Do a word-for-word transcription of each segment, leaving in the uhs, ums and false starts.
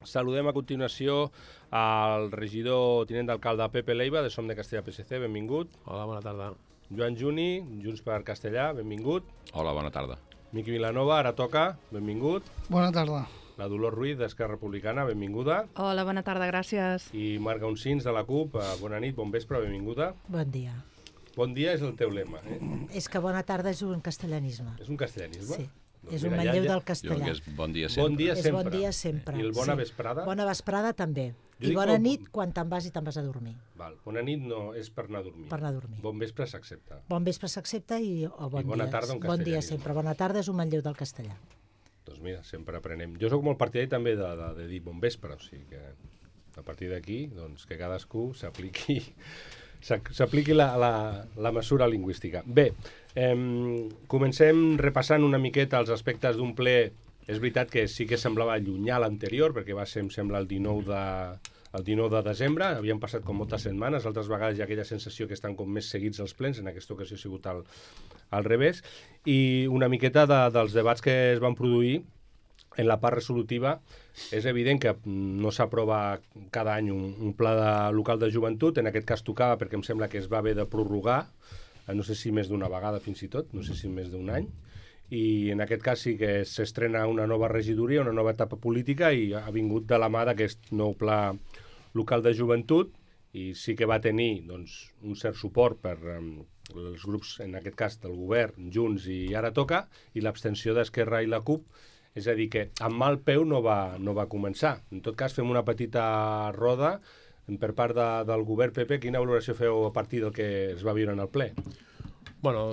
Saludem a continuació al regidor tinent d'alcalde Pepe Leiva, de Som de Castellà P S C, benvingut. Hola, bona tarda. Joan Juni, Junts per Castellà, benvingut. Hola, bona tarda. Miqui Vilanova, ara toca, benvingut. Bona tarda. La Dolors Ruiz, d'Esquerra Republicana, benvinguda. Hola, bona tarda, gràcies. I Marc Gaunsins, de la CUP, bona nit, bon vespre, benvinguda. Bon dia. Bon dia és el teu lema, eh? És que bona tarda és un castellanisme. És un castellanisme? Sí, Doncs és mira, un ja- manlleu ja- del Jo castellà. que és bon dia sempre. Bon dia És sempre. bon dia sempre. I el bona sí. vesprada? Bona vesprada també. Jo I dic bona bon- nit quan te'n vas i te'n vas a dormir. Val, bona nit no és per anar a dormir. Per anar a dormir. Bon vespre s'accepta. Bon vespre s'accepta i o bon I bona dia. tarda un Bon dia castellanisme. sempre. Bona tarda és un manlleu del castellà. Doncs mira, sempre aprenem. Jo sóc molt partidari també de, de, de dir bon vespre, o sigui que a partir d'aquí, doncs, que cadascú s'apliqui s'ac- s'apliqui la, la, la mesura lingüística. Bé, eh, comencem repassant una miqueta els aspectes d'un ple. És veritat que sí que semblava llunyà l'anterior, perquè va ser, em sembla, el dinou de, el dinou de desembre. Havien passat com moltes setmanes, altres vegades hi ha aquella sensació que estan com més seguits els plens, en aquesta ocasió ha sigut al, al revés, i una miqueta de, dels debats que es van produir en la part resolutiva. És evident que no s'aprova cada any un, un pla de, local de joventut, en aquest cas tocava perquè em sembla que es va haver de prorrogar, eh, no sé si més d'una vegada fins i tot, no sé si més d'un any, i en aquest cas sí que s'estrena una nova regidoria, una nova etapa política, i ha vingut de la mà d'aquest nou pla local de joventut, i sí que va tenir doncs, un cert suport per um, els grups, en aquest cas del govern, Junts i Ara Toca, i l'abstenció d'Esquerra i la CUP. És a dir, que amb mal peu no va, no va començar. En tot cas, fem una petita roda per part de, del govern. Pepe, quina valoració feu a partir del que es va viure en el ple? Bueno,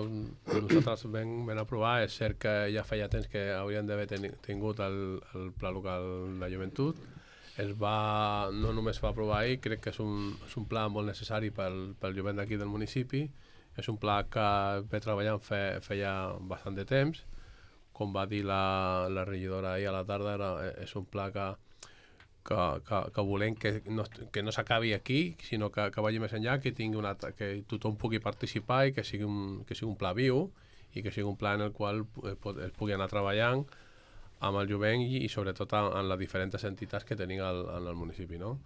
nosaltres vam, vam aprovar, és cert que ja feia temps que haurien d'haver ten, tingut el, el Pla Local de Joventut. Es va, no només va aprovar ahir, crec que és un, és un pla molt necessari pel, pel jovent d'aquí del municipi. És un pla que ve treballant fe, feia bastant de temps. Com va dir la, la regidora ahir a la tarda, era, és un pla que, que, que, que volem que no, que no s'acabi aquí, sinó que, que vagi més enllà, que, tingui una, que tothom pugui participar i que sigui, un, que sigui un pla viu i que sigui un pla en el qual es, pot, es pugui anar treballant amb el jovent i, i sobretot en, en les diferents entitats que tenim al, en el municipi, no?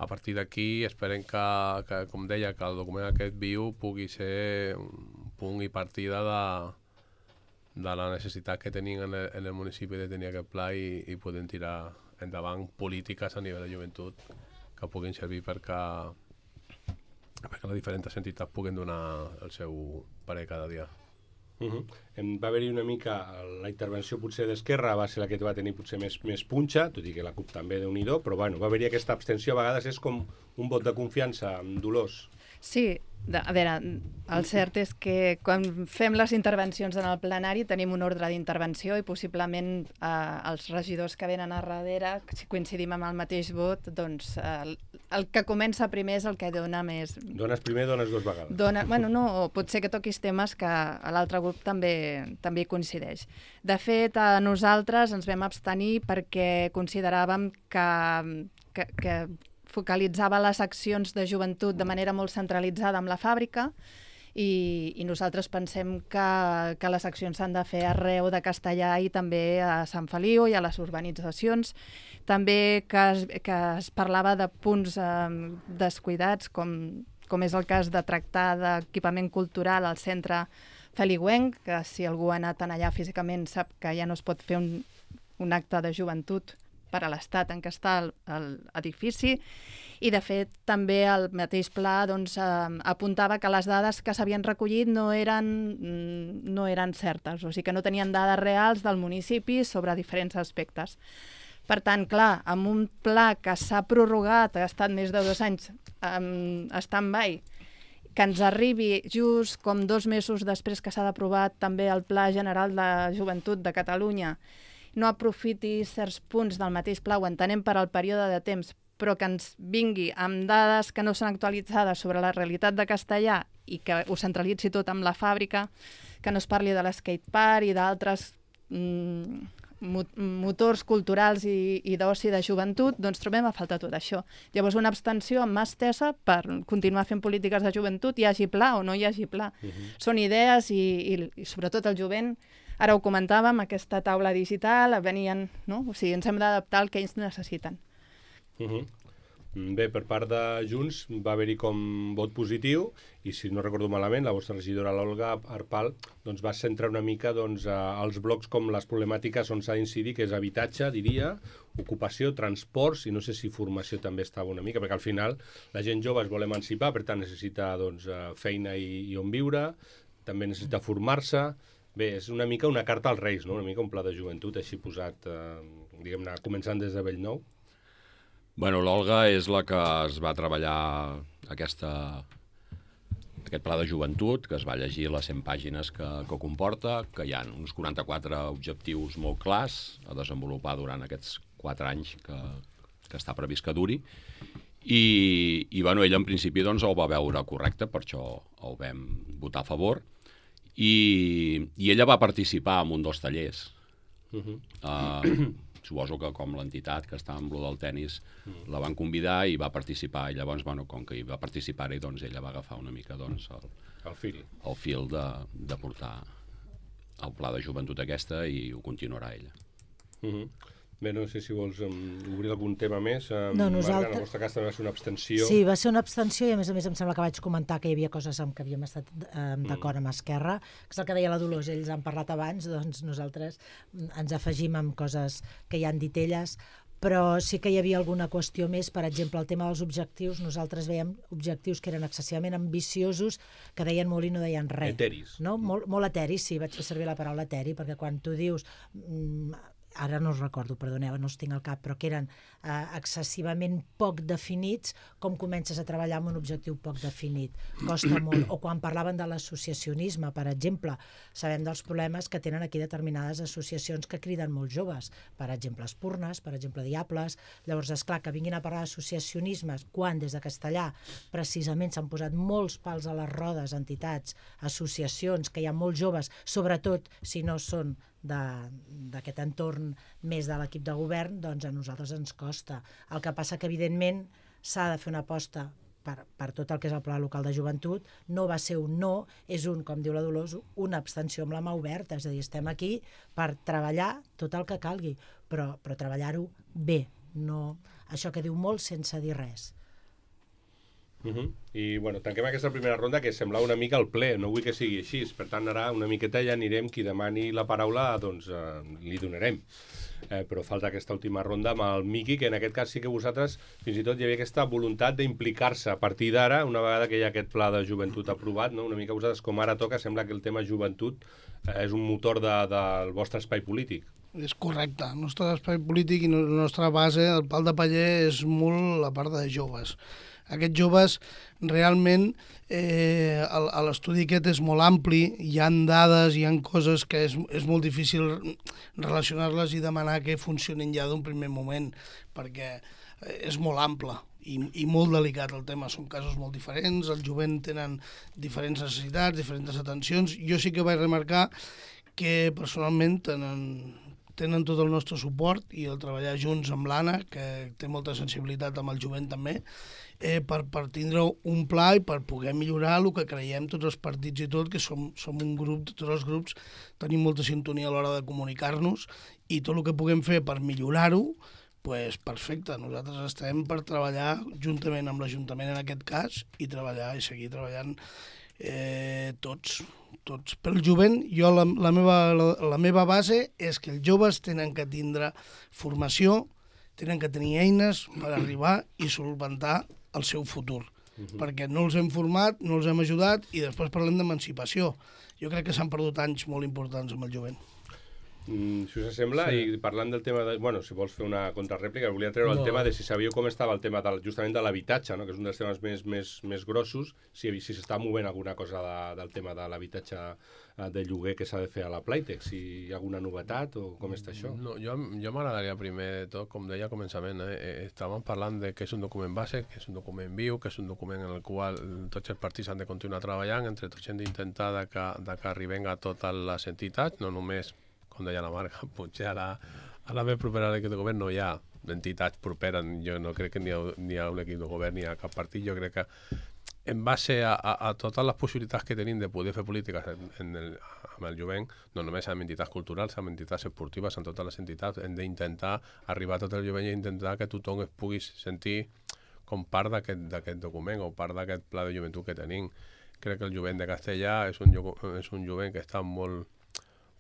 A partir d'aquí esperem que, que, com deia, que el document aquest viu pugui ser un punt i partida de, de la necessitat que tenim en el, en el municipi de tenir aquest pla i, i podem tirar endavant polítiques a nivell de joventut que puguin servir perquè, perquè les diferents entitats puguin donar el seu parer cada dia. Uh -huh. Em va haver-hi una mica, la intervenció potser d'Esquerra va ser la que va tenir potser més, més punxa, tot i que la CUP també, Déu-n'hi-do, però bueno, va haver-hi aquesta abstenció, a vegades és com un vot de confiança, amb Dolors. Sí, de, a veure, el cert és que quan fem les intervencions en el plenari tenim un ordre d'intervenció i possiblement eh, els regidors que venen a darrere, si coincidim amb el mateix vot, doncs eh, el, el que comença primer és el que dona més... Dones primer, dones dues vegades. Dona, bueno, no, pot ser que toquis temes que a l'altre grup també, també hi coincideix. De fet, a nosaltres ens vam abstenir perquè consideràvem que, que, que focalitzava les accions de joventut de manera molt centralitzada amb la fàbrica i, i nosaltres pensem que, que les accions s'han de fer arreu de Castellà i també a Sant Feliu i a les urbanitzacions. També que es, que es parlava de punts eh, descuidats, com, com és el cas de tractar d'equipament cultural al centre feliuenc, que si algú ha anat allà físicament sap que ja no es pot fer un, un acte de joventut per a l'estat en què està l'edifici, i de fet també el mateix pla doncs, eh, apuntava que les dades que s'havien recollit no eren, no eren certes, o sigui que no tenien dades reals del municipi sobre diferents aspectes. Per tant, clar, amb un pla que s'ha prorrogat, ha estat més de dos anys en stand-by, que ens arribi just com dos mesos després que s'ha d'aprovar també el Pla General de Joventut de Catalunya, no aprofiti certs punts del mateix pla, ho entenem per al període de temps, però que ens vingui amb dades que no són actualitzades sobre la realitat de Castellà i que ho centralitzi tot amb la fàbrica, que no es parli de l'skatepark i d'altres mm, motors culturals i, i d'oci de joventut, doncs trobem a faltar tot això. Llavors una abstenció amb mà estesa per continuar fent polítiques de joventut, hi hagi pla o no hi hagi pla. Uh -huh. Són idees i, i, i sobretot el jovent. Ara ho comentàvem, aquesta taula digital, venien, no? O sigui, ens hem d'adaptar al que ells necessiten. Uh -huh. Bé, per part de Junts va haver-hi com vot positiu i, si no recordo malament, la vostra regidora, l'Olga Arpal, doncs va centrar una mica doncs, els blocs com les problemàtiques on s'ha d'incidir, que és habitatge, diria, ocupació, transports, i no sé si formació també estava una mica, perquè al final la gent jove es vol emancipar, per tant necessita doncs, feina i, i on viure, també necessita formar-se. Bé, és una mica una carta als Reis, no? Una mica un pla de joventut així posat, eh, diguem-ne, començant des de Bellnou. Bueno, l'Olga és la que es va treballar aquesta, aquest pla de joventut, que es va llegir les cent pàgines que, que comporta, que hi ha uns quaranta-quatre objectius molt clars a desenvolupar durant aquests quatre anys que, que està previst que duri. I, i bueno, ella en principi doncs, ho va veure correcte, per això ho vam votar a favor. I, i ella va participar en un dels tallers. Uh-huh. uh, suposo que com l'entitat que està amb lo del tennis uh-huh. la van convidar i va participar, i llavors, bueno, com que hi va participar-hi, doncs ella va agafar una mica doncs, el, el fil, el fil de, de portar el pla de joventut aquesta, i ho continuarà ella. Uh-huh. Bé, no sé si vols um, obrir algun tema més. Um, No, Marga, nosaltres... en el vostre cas també va ser una abstenció. Sí, va ser una abstenció i, a més a més, em sembla que vaig comentar que hi havia coses amb què havíem estat eh, d'acord amb Esquerra, que és el que deia la Dolors, ells han parlat abans, doncs nosaltres ens afegim amb coses que ja han dit elles, però sí que hi havia alguna qüestió més, per exemple, el tema dels objectius. Nosaltres veiem objectius que eren excessivament ambiciosos, que deien molt i no deien res. Eteris. No? Molt, molt eteris, sí, vaig fer servir la paraula eteri, perquè quan tu dius... Mm, ara no els recordo, perdoneu, no els tinc al cap, però que eren eh, excessivament poc definits, com comences a treballar amb un objectiu poc definit. Costa molt. O quan parlaven de l'associacionisme, per exemple, sabem dels problemes que tenen aquí determinades associacions que criden molts joves, per exemple Espurnes, per exemple Diables. Llavors, és clar que vinguin a parlar d'associacionismes quan des de Castellà precisament s'han posat molts pals a les rodes, entitats, associacions, que hi ha molts joves, sobretot si no són d'aquest entorn més de l'equip de govern, doncs a nosaltres ens costa. El que passa que, evidentment, s'ha de fer una aposta per, per tot el que és el pla local de joventut. No va ser un no, és un, com diu la Dolors, una abstenció amb la mà oberta, és a dir, estem aquí per treballar tot el que calgui, però, però treballar-ho bé, no això que diu molt sense dir res. Uh -huh. I bueno, tanquem aquesta primera ronda, que semblava una mica el ple, no vull que sigui així, per tant ara una miqueta ja anirem, qui demani la paraula doncs eh, li donarem, eh, però falta aquesta última ronda amb el Miqui, que en aquest cas sí que vosaltres fins i tot hi havia aquesta voluntat d'implicar-se a partir d'ara, una vegada que hi ha aquest pla de joventut aprovat, no? Una mica vosaltres, com ara toca, sembla que el tema joventut eh, és un motor de, del vostre espai polític. És correcte, el nostre espai polític i la nostra base, el pal de paller, és molt la part de joves. Aquests joves, realment, eh, l'estudi aquest és molt ampli, hi ha dades, hi ha coses que és, és molt difícil relacionar-les i demanar que funcionin ja d'un primer moment, perquè és molt ample i, i molt delicat el tema. Són casos molt diferents, el jovent tenen diferents necessitats, diferents atencions. Jo sí que vaig remarcar que personalment tenen... tenen tot el nostre suport i el treballar junts amb l'Anna, que té molta sensibilitat amb el jovent també, eh, per, per tindre un pla i per poder millorar el que creiem tots els partits i tot, que som, som un grup, tots els grups tenim molta sintonia a l'hora de comunicar-nos, i tot el que puguem fer per millorar-ho, pues perfecte. Nosaltres estem per treballar juntament amb l'Ajuntament en aquest cas i treballar i seguir treballant eh, tots. tots. Per el jovent, jo la, la, meva, la, la meva base és que els joves tenen que tindre formació, tenen que tenir eines per arribar i solventar el seu futur. Uh-huh. Perquè no els hem format, no els hem ajudat, i després parlem d'emancipació. Jo crec que s'han perdut anys molt importants amb el jovent. Mm, si us sembla, sí. I parlant del tema de... Bueno, si vols fer una contrarèplica, volia treure no. el tema de si sabíeu com estava el tema del, justament de l'habitatge, no? Que és un dels temes més, més, més grossos, si si s'està movent alguna cosa de, del tema de l'habitatge de lloguer que s'ha de fer a la Playtex, si hi ha alguna novetat o com està això? No, jo jo m'agradaria primer de tot, com deia al començament, eh, estàvem parlant de que és un document base, que és un document viu, que és un document en el qual tots els partits han de continuar treballant, entre tots hem d'intentar de que, de que arribem a totes les entitats, no només, com deia la Marga, potser a la, a la més propera de aquest govern no hi ha entitats properes, jo no crec que ni hi ha, ni hi ha un equip de govern ni hi ha cap partit, jo crec que en base a, a, a totes les possibilitats que tenim de poder fer polítiques en, en el, amb el jovent, no només amb entitats culturals, amb entitats esportives, amb totes les entitats, hem d'intentar arribar a tot el jovent i intentar que tothom es pugui sentir com part d'aquest document o part d'aquest pla de joventut que tenim. Crec que el jovent de Castellà és un, és un jovent que està molt,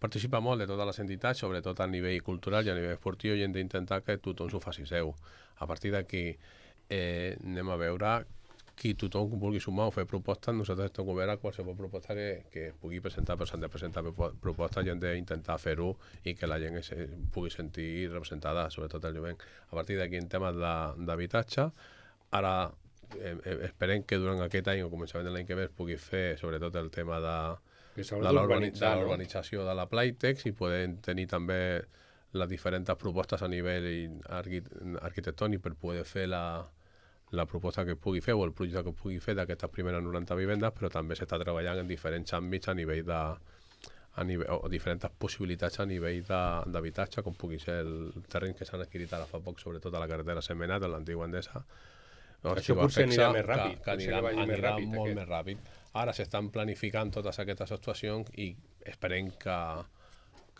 participa molt de totes les entitats, sobretot a nivell cultural i a nivell esportiu, i hem d'intentar que tothom s'ho faci seu. A partir d'aquí eh, anem a veure qui tothom vulgui sumar o fer propostes. Nosaltres estem oberts a qualsevol proposta que, que pugui presentar, però s'han de presentar propostes i hem d'intentar fer-ho i que la gent es pugui sentir representada, sobretot el jovent. A partir d'aquí, en temes d'habitatge, ara eh, esperem que durant aquest any o començament de l'any que ve es pugui fer sobretot el tema de, de l'urbanització de la Playtex i podem tenir també les diferents propostes a nivell arquitectònic per poder fer la la proposta que pugui fer o el projecte que pugui fer d'aquestes primeres noranta vivendes, però també s'està treballant en diferents àmbits a nivell de a nivell, o diferents possibilitats a nivell d'habitatge, com pugui ser el terreny que s'han adquirit ara fa poc, sobretot a la carretera Sentmenat, a l'antiga Endesa. Això potser anirà més ràpid. Que, que anirà, que anirà més ràpid, molt aquest. més ràpid. Ara s'estan planificant totes aquestes actuacions i esperem que,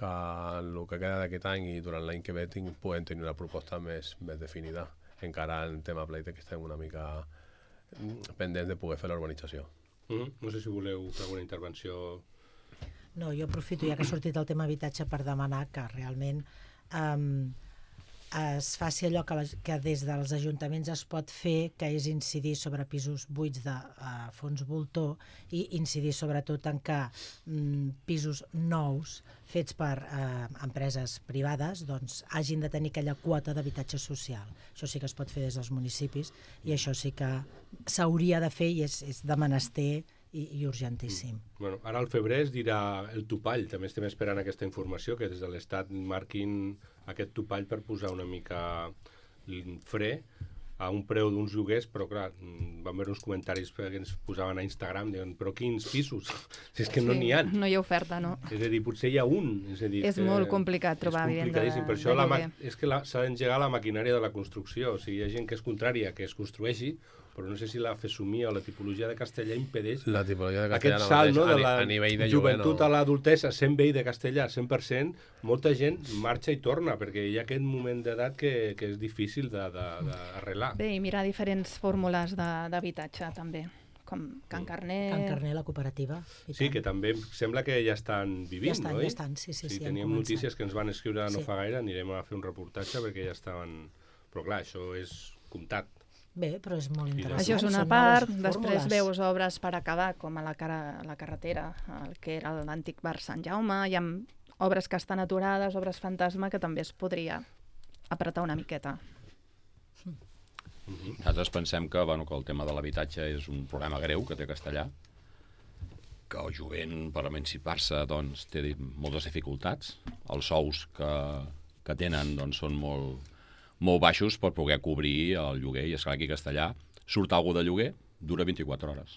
que el que queda d'aquest any i durant l'any que ve puguem tenir una proposta més, més definida. Encara en tema Playtex que estem una mica pendents de poder fer la urbanització. Mm-hmm. No sé si voleu fer alguna intervenció. No, jo aprofito ja que ha sortit el tema habitatge per demanar que realment um, es faci allò que, la, que des dels ajuntaments es pot fer, que és incidir sobre pisos buits de uh, fons voltor i incidir sobretot en que um, pisos nous fets per eh, empreses privades doncs, hagin de tenir aquella quota d'habitatge social. Això sí que es pot fer des dels municipis i això sí que s'hauria de fer i és, és de menester i, i urgentíssim. Mm. Bueno, ara al febrer es dirà el topall, també estem esperant aquesta informació, que des de l'Estat marquin aquest topall per posar una mica fre a un preu d'uns lloguers, però clar, vam veure uns comentaris que ens posaven a Instagram, diuen, però quins pisos? Si és que no n'hi ha. No hi ha oferta, no. És a dir, potser hi ha un. És, a dir, és molt complicat trobar vivenda de, per això de lloguer. És que s'ha d'engegar la maquinària de la construcció. O sigui, hi ha gent que és contrària que es construeixi, però no sé si la fesomia o la tipologia de Castellà impedeix la tipologia de Castellà aquest salt, no, de la a nivell de joventut no. a l'adultesa, sent veí de Castellà, cent per cent, molta gent marxa i torna, perquè hi ha aquest moment d'edat que, que és difícil d'arreglar. Bé, i mirar diferents fórmules d'habitatge, també, com Can Carner... Can Carner, la cooperativa. Sí, tant. Que també sembla que ja estan vivint, ja estan, no? Ja estan, sí, sí. sí, sí teníem notícies que ens van escriure no sí. fa gaire, anirem a fer un reportatge perquè ja estaven... Però clar, això és comptat. Bé, però és molt interessant. Això és una part, després veus obres per acabar, com a la, cara, la carretera, el que era l'antic bar Sant Jaume, hi ha obres que estan aturades, obres fantasma, que també es podria apretar una miqueta. Mm-hmm. Nosaltres pensem que, bueno, que el tema de l'habitatge és un problema greu que té Castellà, que el jovent per emancipar-se doncs, té moltes dificultats, els sous que, que tenen doncs, són molt... molt baixos per poder cobrir el lloguer, i esclar, aquí a Castellà surt algú de lloguer, dura vint-i-quatre hores.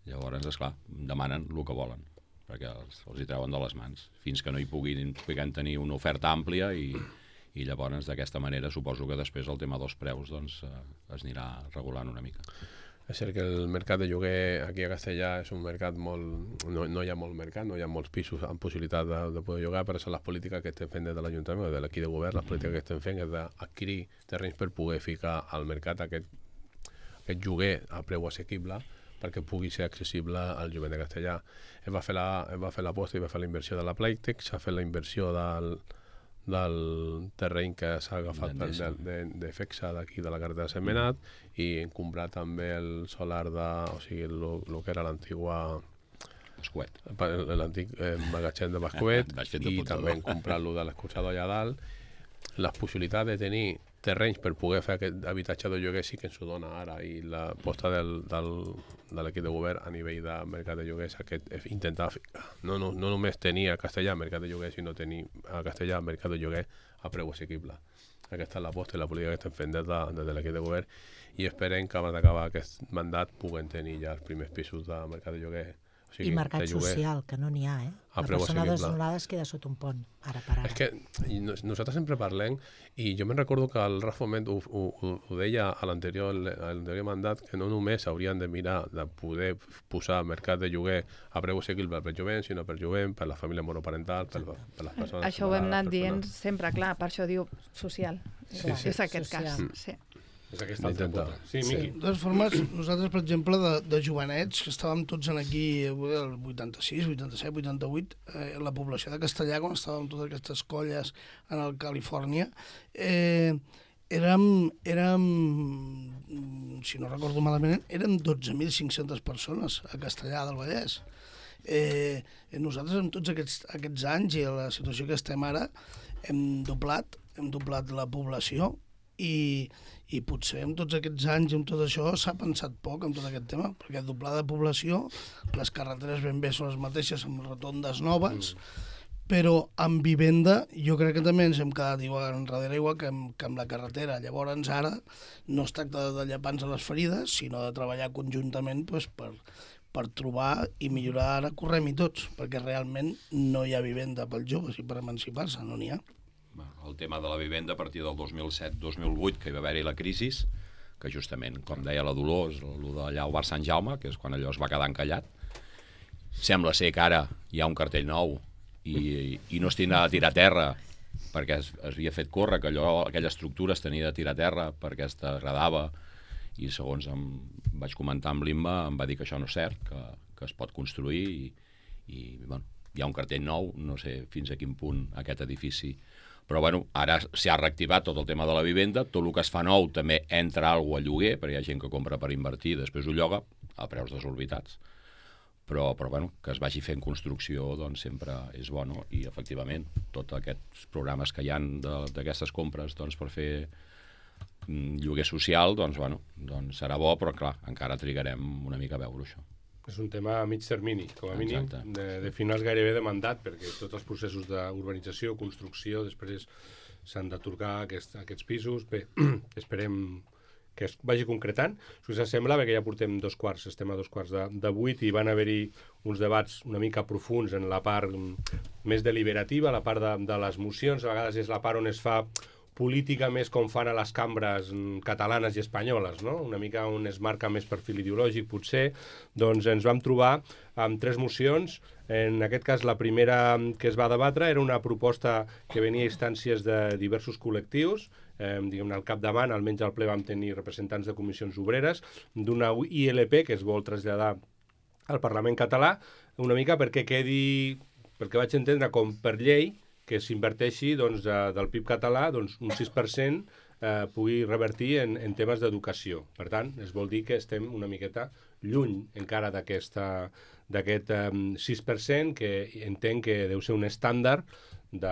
Llavors, esclar, demanen el que volen, perquè els, els hi treuen de les mans, fins que no hi puguin, puguin tenir una oferta àmplia i, i llavors d'aquesta manera suposo que després el tema dels preus doncs, eh, es anirà regulant una mica. És cert que el mercat de lloguer aquí a Castellà és un mercat molt... No, no hi ha molt mercat, no hi ha molts pisos amb possibilitat de, de poder llogar, per això les polítiques que estem fent des de l'Ajuntament o de l'equip de govern, les polítiques que estem fent és d'adquirir terrenys per poder ficar al mercat aquest, aquest lloguer a preu assequible perquè pugui ser accessible al jovent de Castellà. Es va fer l'aposta i va fer la inversió de la Playtex, s'ha fet la inversió del... del terreny que s'ha agafat de, de, de FEXA d'aquí de la carretera de Sentmenat mm. i comprar també el solar de, o sigui, el que era l'antigua Bascuet, l'antic eh, magatzem de Bascuet i també hem comprat lo de l'escorxador allà dalt. Les possibilitats de tenir terrenys per poder fer aquest habitatge de lloguer sí que ens ho dona ara, i la posta del, del, de l'equip de govern a nivell de mercat de lloguers aquest, intentar no, no, no només tenir a Castellà mercat de lloguer, sinó tenir a Castellà mercat de lloguer a preu assequible. Aquesta és la posta i la política que estem fent des de, des de l'equip de govern, i esperem que abans d'acabar aquest mandat puguen tenir ja els primers pisos de mercat de lloguer, O sigui, I mercat de lloguer. social, que no n'hi ha, eh? A La preu persona assequible. desnonada es queda sota un pont, ara per ara. És que nos- nosaltres sempre parlem, i jo me'n recordo que el Rafa Foment ho, ho, ho, ho deia a l'anterior a l'anterior mandat, que no només haurien de mirar de poder posar mercat de lloguer a preu assequible per jovent, sinó per jovent, per la família monoparental, per, per les persones... Això ho hem anat separades, dient persones- sempre, clar, per això diu social. Sí, És, sí. és aquest Social. cas, sí. És aquesta altra Intenta. pota. Sí, Sí. Miqui. De totes formes, nosaltres, per exemple, de, de jovenets, que estàvem tots en aquí el vuitanta-sis, vuitanta-set, vuitanta-vuit, eh, la població de Castellà, quan estàvem totes aquestes colles en el Califòrnia, eh, érem, érem, si no recordo malament, érem dotze mil cinc-centes persones a Castellà del Vallès. Eh, nosaltres, en tots aquests, aquests anys i a la situació que estem ara, hem doblat, hem doblat la població i, i potser en tots aquests anys i amb tot això s'ha pensat poc en tot aquest tema, perquè doblar de població, les carreteres ben bé són les mateixes amb rotondes noves, mm. però amb vivenda jo crec que també ens hem quedat igual enrere igual que amb, que amb la carretera. Llavors ara no es tracta de llepar-nos a les ferides, sinó de treballar conjuntament pues, per, per trobar i millorar, ara correm-hi tots, perquè realment no hi ha vivenda pels joves i per emancipar-se, no n'hi ha. El tema de la vivenda a partir del dos mil set dos mil vuit, que hi va haver-hi la crisi, que justament, com deia la Dolors, el d'allà al bar Sant Jaume, que és quan allò es va quedar encallat, sembla ser que ara hi ha un cartell nou i, i no es tindrà de tirar a terra perquè es, es havia fet córrer, que allò, aquella estructura es tenia de tirar a terra perquè es degradava, i segons em vaig comentar amb l'Imma, em va dir que això no és cert, que, que es pot construir i, i bueno, hi ha un cartell nou, no sé fins a quin punt aquest edifici. Però bueno, ara s'ha reactivat tot el tema de la vivenda, tot el que es fa nou també entra alguna a lloguer, perquè hi ha gent que compra per invertir i després ho lloga a preus desorbitats. Però, però bueno, que es vagi fent construcció doncs sempre és bo, no? I efectivament, tots aquests programes que hi ha d'aquestes compres doncs, per fer mm, lloguer social, doncs, bueno, doncs serà bo, però clar, encara trigarem una mica a veure això. És un tema a mig termini, com a mínim, Exacte. de, de finals gairebé de mandat, perquè tots els processos d'urbanització, construcció, després s'han d'atorgar aquest, aquests pisos. Bé, esperem que es vagi concretant. Si us sembla, perquè ja portem dos quarts, estem a dos quarts de, de vuit, i van haver-hi uns debats una mica profuns en la part més deliberativa, la part de, de les mocions. A vegades és la part on es fa política més com fan a les cambres catalanes i espanyoles, no? Una mica on es marca més perfil ideològic, potser. Doncs ens vam trobar amb tres mocions. En aquest cas, la primera que es va debatre era una proposta que venia a instàncies de diversos col·lectius. Eh, diguem-ne, al capdavant, almenys al ple vam tenir representants de comissions obreres, d'una I L P que es vol traslladar al Parlament català, una mica perquè quedi, perquè vaig entendre com per llei, que s'inverteixi doncs, de, del P I B català doncs, un sis per cent eh, pugui revertir en, en temes d'educació. Per tant, es vol dir que estem una miqueta lluny encara d'aquest eh, sis per cent, que entenc que deu ser un estàndard de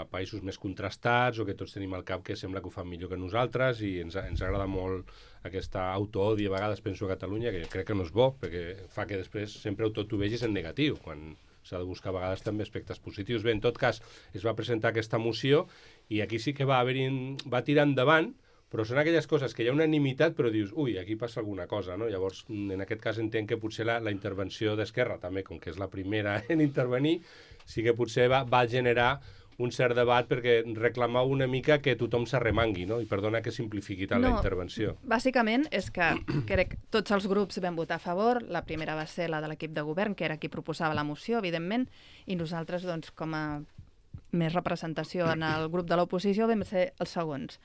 països més contrastats o que tots tenim al cap que sembla que ho fan millor que nosaltres, i ens, ens agrada molt aquesta autoodi, a vegades penso a Catalunya, que crec que no és bo, perquè fa que després sempre tot ho vegis en negatiu, quan s'ha de buscar a vegades també aspectes positius. Bé, en tot cas, es va presentar aquesta moció i aquí sí que va haver-hi, va tirar endavant, però són aquelles coses que hi ha unanimitat, però dius, ui, aquí passa alguna cosa, no? Llavors, en aquest cas entenc que potser la, la intervenció d'Esquerra, també, com que és la primera en intervenir, sí que potser va, va generar un cert debat perquè reclamar una mica que tothom s'arremangui, no? I perdona que simplifiqui tant no, la intervenció. Bàsicament és que crec que tots els grups vam votar a favor. La primera va ser la de l'equip de govern, que era qui proposava la moció, evidentment, i nosaltres, doncs, com a més representació en el grup de l'oposició, vam ser els segons.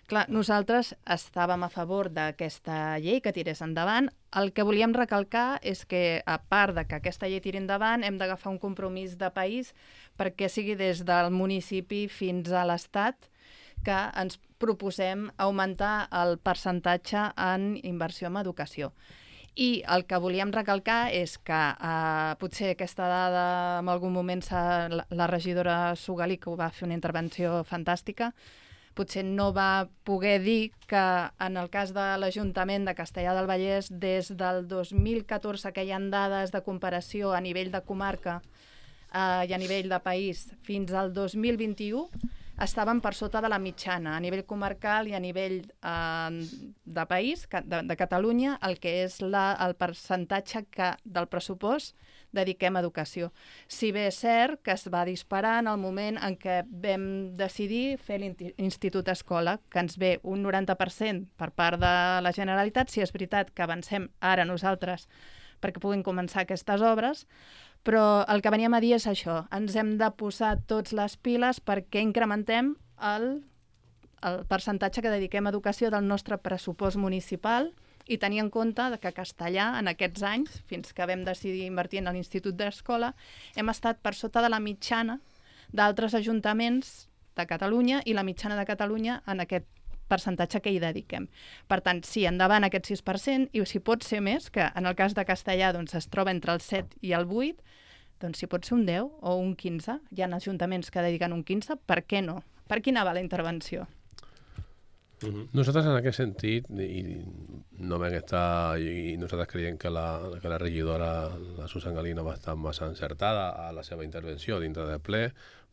Clar, nosaltres estàvem a favor d'aquesta llei que tirés endavant. El que volíem recalcar és que, a part de que aquesta llei tiri endavant, hem d'agafar un compromís de país perquè sigui des del municipi fins a l'Estat que ens proposem augmentar el percentatge en inversió en educació. I el que volíem recalcar és que eh, potser aquesta dada en algun moment la, la regidora Sugalí, que va fer una intervenció fantàstica, potser no va poder dir que en el cas de l'Ajuntament de Castellar del Vallès, des del dos mil catorze que hi ha dades de comparació a nivell de comarca eh, i a nivell de país, fins al dos mil vint-i-u, estaven per sota de la mitjana, a nivell comarcal i a nivell eh, de país, de, de Catalunya, el que és la, el percentatge que, del pressupost dediquem a educació. Si bé és cert que es va disparar en el moment en què vam decidir fer l'Institut Escola, que ens ve un noranta per cent per part de la Generalitat, si és veritat que avancem ara nosaltres perquè puguin començar aquestes obres, però el que veníem a dir és això, ens hem de posar tots les piles perquè incrementem el, el percentatge que dediquem a educació del nostre pressupost municipal i tenir en compte que Castellà, en aquests anys, fins que vam decidir invertir en l'Institut d'Escola, hem estat per sota de la mitjana d'altres ajuntaments de Catalunya i la mitjana de Catalunya en aquest percentatge que hi dediquem. Per tant, sí, endavant aquest sis per cent, i si pot ser més, que en el cas de Castellà doncs, es troba entre el set i el vuit, doncs si pot ser un deu o un quinze, hi ha ajuntaments que dediquen un quinze, per què no? Per quina va la intervenció? Uh-huh. Nosaltres en aquest sentit, i no vam estar, i nosaltres creiem que la, que la regidora, la Susan Galina, va estar massa encertada a la seva intervenció dintre del ple,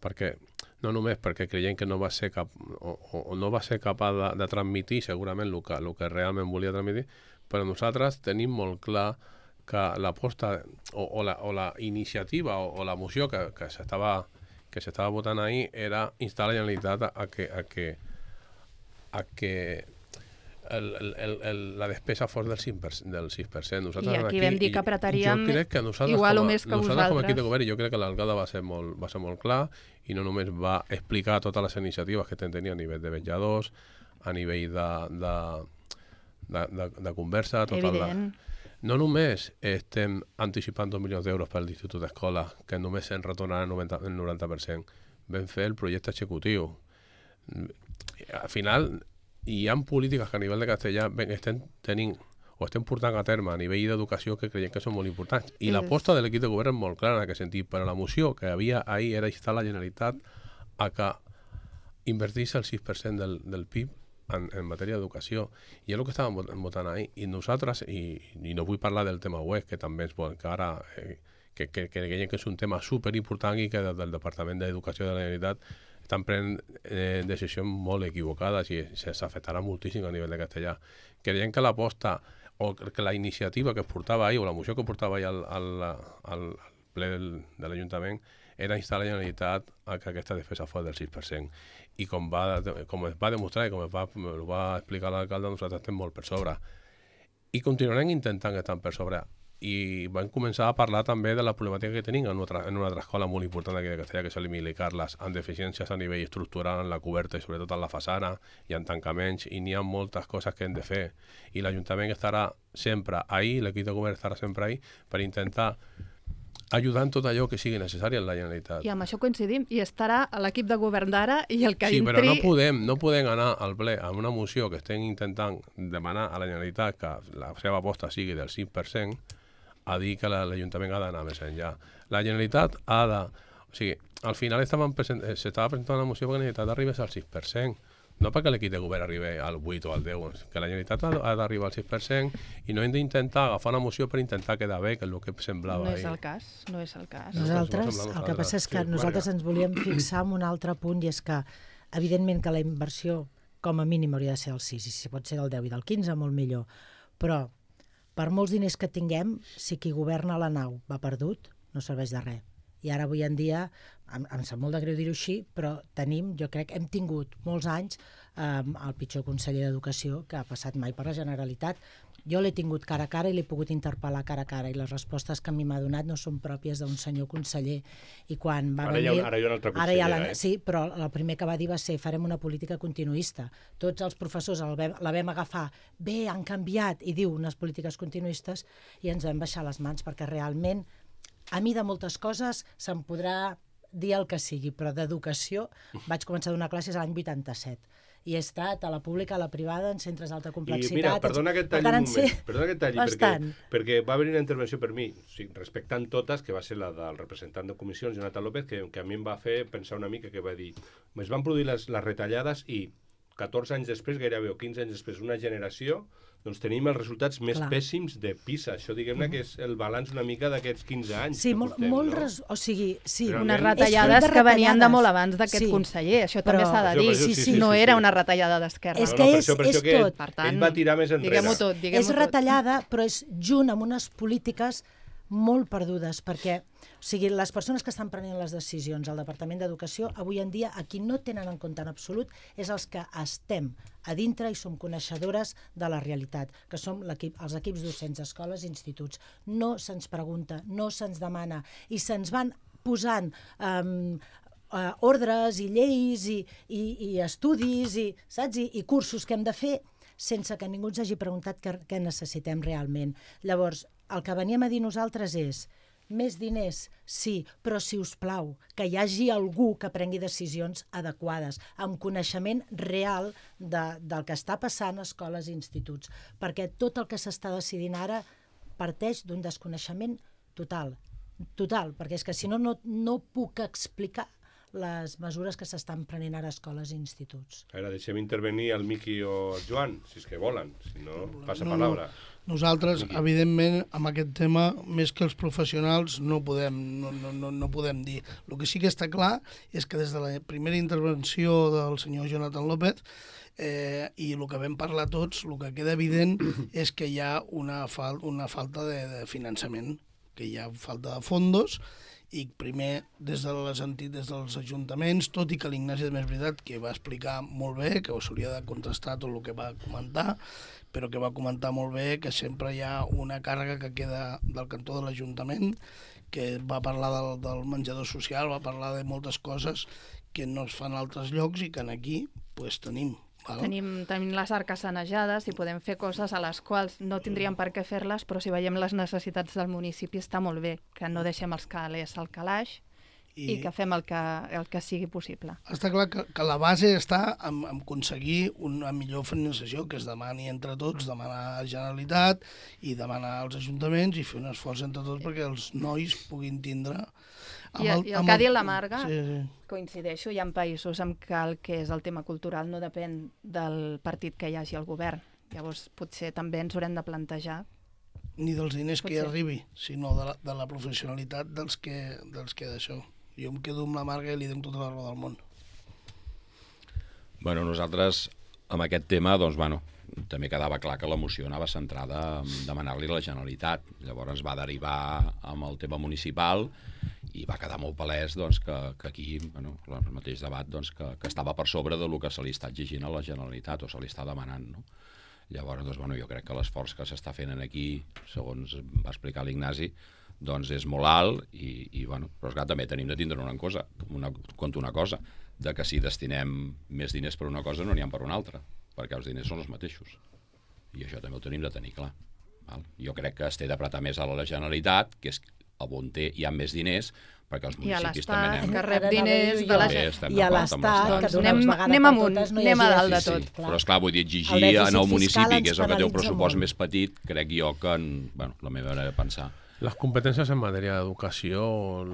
perquè no només perquè creiem que no va ser cap, o, o no va ser capaç de, de transmitir segurament el que, el que realment volia transmitir, però nosaltres tenim molt clar que l'aposta o, o, la, o la iniciativa o, o la moció que, que s'estava que s'estava votant ahir era instar la Generalitat a, a que, a que a que el, el, el, la despesa fos del sis per cent. Del sis per cent. Nosaltres I aquí, aquí vam dir que apretaríem igual o més que nosaltres vosaltres. Com a equip de govern, jo crec que l'alcalde va ser molt, va ser molt clar i no només va explicar totes les iniciatives que tenia a nivell de vetjadors, a nivell de, de, de, de, de conversa, tota la... No només estem anticipant dos milions d'euros per l'Institut d'Escola, que només se'n retornarà el noranta per cent. Vam fer el projecte executiu. Al final, hi ha polítiques que a nivell de castellà estem tenint o estem portant a terme a nivell d'educació que creiem que són molt importants. I yes. L'aposta de l'equip de govern és molt clara en aquest sentit, però la moció que havia ahir era instar la Generalitat a que invertís el sis per cent del, del P I B en, en matèria d'educació. I és el que estàvem votant ahir. I nosaltres, i, i no vull parlar del tema web, que també és bon, que ara... Eh, que, que, que creiem que és un tema superimportant i que des del Departament d'Educació de la Generalitat estan prenent eh, decisions molt equivocades i s'afectarà moltíssim a nivell de castellà. Creiem que l'aposta o que la iniciativa que es portava ahir o la moció que portava ahir al, al, al ple del, de l'Ajuntament era instar la Generalitat a que aquesta despesa fos del sis per cent. I com, va, com es va demostrar i com es va, va explicar l'alcalde, nosaltres estem molt per sobre. I continuarem intentant estar per sobre. I vam començar a parlar també de la problemàtica que tenim en una, en una altra escola molt important aquí de Castellà, que és l'Emili Carles, amb deficiències a nivell estructural en la coberta i sobretot en la façana, i en tancaments, i n'hi ha moltes coses que hem de fer. I l'Ajuntament estarà sempre ahí, l'equip de govern estarà sempre ahí, per intentar ajudar en tot allò que sigui necessari en la Generalitat. I amb això coincidim, i estarà a l'equip de govern d'ara i el que sí, entri... Sí, però no podem, no podem anar al ple amb una moció que estem intentant demanar a la Generalitat que la seva aposta sigui del cinc per cent a dir que l'Ajuntament ha d'anar més enllà. La Generalitat ha de... O sigui, al final s'estava presentant una moció perquè la Generalitat arribés al sis per cent. No perquè l'equip de govern arribi al vuit o al deu, que la Generalitat ha d'arribar al sis per cent i no hem d'intentar agafar una moció per intentar quedar bé, que és el que semblava ahir. No és el cas, no és el cas. Nosaltres, el que passa és que nosaltres ens volíem fixar en un altre punt i és que, evidentment que la inversió com a mínim hauria de ser del sis i si pot ser del deu i del quinze, molt millor. Però per molts diners que tinguem, si qui governa la nau va perdut, no serveix de res. I ara avui en dia, em, em sap molt de greu dir-ho així, però tenim, jo crec, hem tingut molts anys eh, el pitjor conseller d'Educació que ha passat mai per la Generalitat. Jo l'he tingut cara a cara i l'he pogut interpel·lar cara a cara i les respostes que a mi m'ha donat no són pròpies d'un senyor conseller. I quan va ara, venir, hi ha, ara hi ha una altra consellera, la, eh? Sí, però el primer que va dir va ser farem una política continuista. Tots els professors el vam, la vam agafar, bé, han canviat, i diu unes polítiques continuistes, i ens vam baixar les mans perquè realment a mi de moltes coses se'm podrà dir el que sigui, però d'educació vaig començar a donar classes l'any vuitanta-set. I he estat a la pública, a la privada, en centres d'alta complexitat... I mira, perdona que et talli un moment, perdona que et talli, perquè, perquè va haver una intervenció per mi, o sigui, respectant totes, que va ser la del representant de comissions, Jonathan López, que, que a mi em va fer pensar una mica, que va dir, es van produir les, les retallades i catorze anys després, gairebé, o quinze anys després, una generació, doncs tenim els resultats més Clar. pèssims de PISA. Això, diguem-ne, que és el balanç una mica d'aquests quinze anys sí, que molt, portem, molt no? res... O sigui, sí. Realment... Unes retallades que venien de molt abans d'aquest sí. conseller. Això però... també s'ha de dir. Sí, sí, sí, no sí, era sí. una retallada d'esquerra. És que no, no, és, per això, per és això tot. Per tant, ell va tirar més enrere. Diguem-ho tot. Diguem és retallada, però és junt amb unes polítiques molt perdudes, perquè o sigui, les persones que estan prenent les decisions al Departament d'Educació, avui en dia, a qui no tenen en compte en absolut és els que estem a dintre i som coneixedores de la realitat, que som l'equip, els equips docents d'escoles i instituts. No se'ns pregunta, no se'ns demana, i se'ns van posant um, uh, ordres i lleis i, i, i estudis i, saps? I, i cursos que hem de fer sense que ningú ens hagi preguntat què, què necessitem realment. Llavors, el que veníem a dir nosaltres és més diners, sí, però si us plau, que hi hagi algú que prengui decisions adequades, amb coneixement real de, del que està passant a escoles i instituts, perquè tot el que s'està decidint ara parteix d'un desconeixement total, total, perquè és que si no, no, no puc explicar les mesures que s'estan prenent ara a escoles i instituts. A veure, deixem intervenir el Miqui o el Joan, si és que volen, si no, passa No, paraula. no. Nosaltres, Miqui. evidentment, amb aquest tema, més que els professionals, no podem, no, no, no, no podem dir. El que sí que està clar és que des de la primera intervenció del senyor Jonathan López eh, i el que vam parlar tots, el que queda evident és que hi ha una, fal una falta de, de finançament, que hi ha falta de fondos, i primer des de les entitats, des dels ajuntaments, tot i que l'Ignasi és veritat que va explicar molt bé, que s'hauria de contrastar tot el que va comentar, però que va comentar molt bé que sempre hi ha una càrrega que queda del cantó de l'Ajuntament, que va parlar del, del menjador social, va parlar de moltes coses que no es fan a altres llocs i que aquí pues, tenim. Val? Tenim, tenim les arques sanejades i podem fer coses a les quals no tindríem per què fer-les, però si veiem les necessitats del municipi està molt bé, que no deixem els calés al calaix i, i que fem el que, el que sigui possible. Està clar que, que la base està en, en aconseguir una millor finançació, que es demani entre tots, demanar a la Generalitat i demanar als ajuntaments i fer un esforç entre tots perquè els nois puguin tindre... I, el, I el que ha dit la Marga, sí, sí. coincideixo, hi ha països en què el que és el tema cultural no depèn del partit que hi hagi al govern. Llavors, potser també ens haurem de plantejar. Ni dels diners Potser. que hi arribi, sinó de la, de la professionalitat dels que, dels que d'això. Jo em quedo amb la Marga i li dono tota la raó del món. Bueno, nosaltres, amb aquest tema, doncs, bueno, també quedava clar que la moció anava centrada en demanar-li a la Generalitat. Llavors va derivar amb el tema municipal i va quedar molt palès doncs, que, que aquí, bueno, el mateix debat, doncs, que, que estava per sobre del que se li està exigint a la Generalitat o se li està demanant, no? Llavors, doncs, bueno, jo crec que l'esforç que s'està fent aquí, segons va explicar l'Ignasi, doncs és molt alt i, i bueno, però esclar, també tenim de tindre una cosa, una, compte una cosa, de que si destinem més diners per una cosa no n'hi ha per una altra, perquè els diners són els mateixos. I això també ho tenim de tenir clar. Val? Jo crec que es té d'apretar més a la Generalitat, que és on té, hi ha més diners, perquè els municipis també anem... que rep diners de la gent. I a l'Estat, que d'una anem, vegada anem per amunt, totes no hi anem a hagi dalt de Sí, tot. sí. Però esclar, vull dir, exigir El dèficit en el fiscal municipi, ens que és el que té un penalitza pressupost molt. més petit, crec jo que, en, bueno, la meva manera de pensar. Les competències en matèria d'educació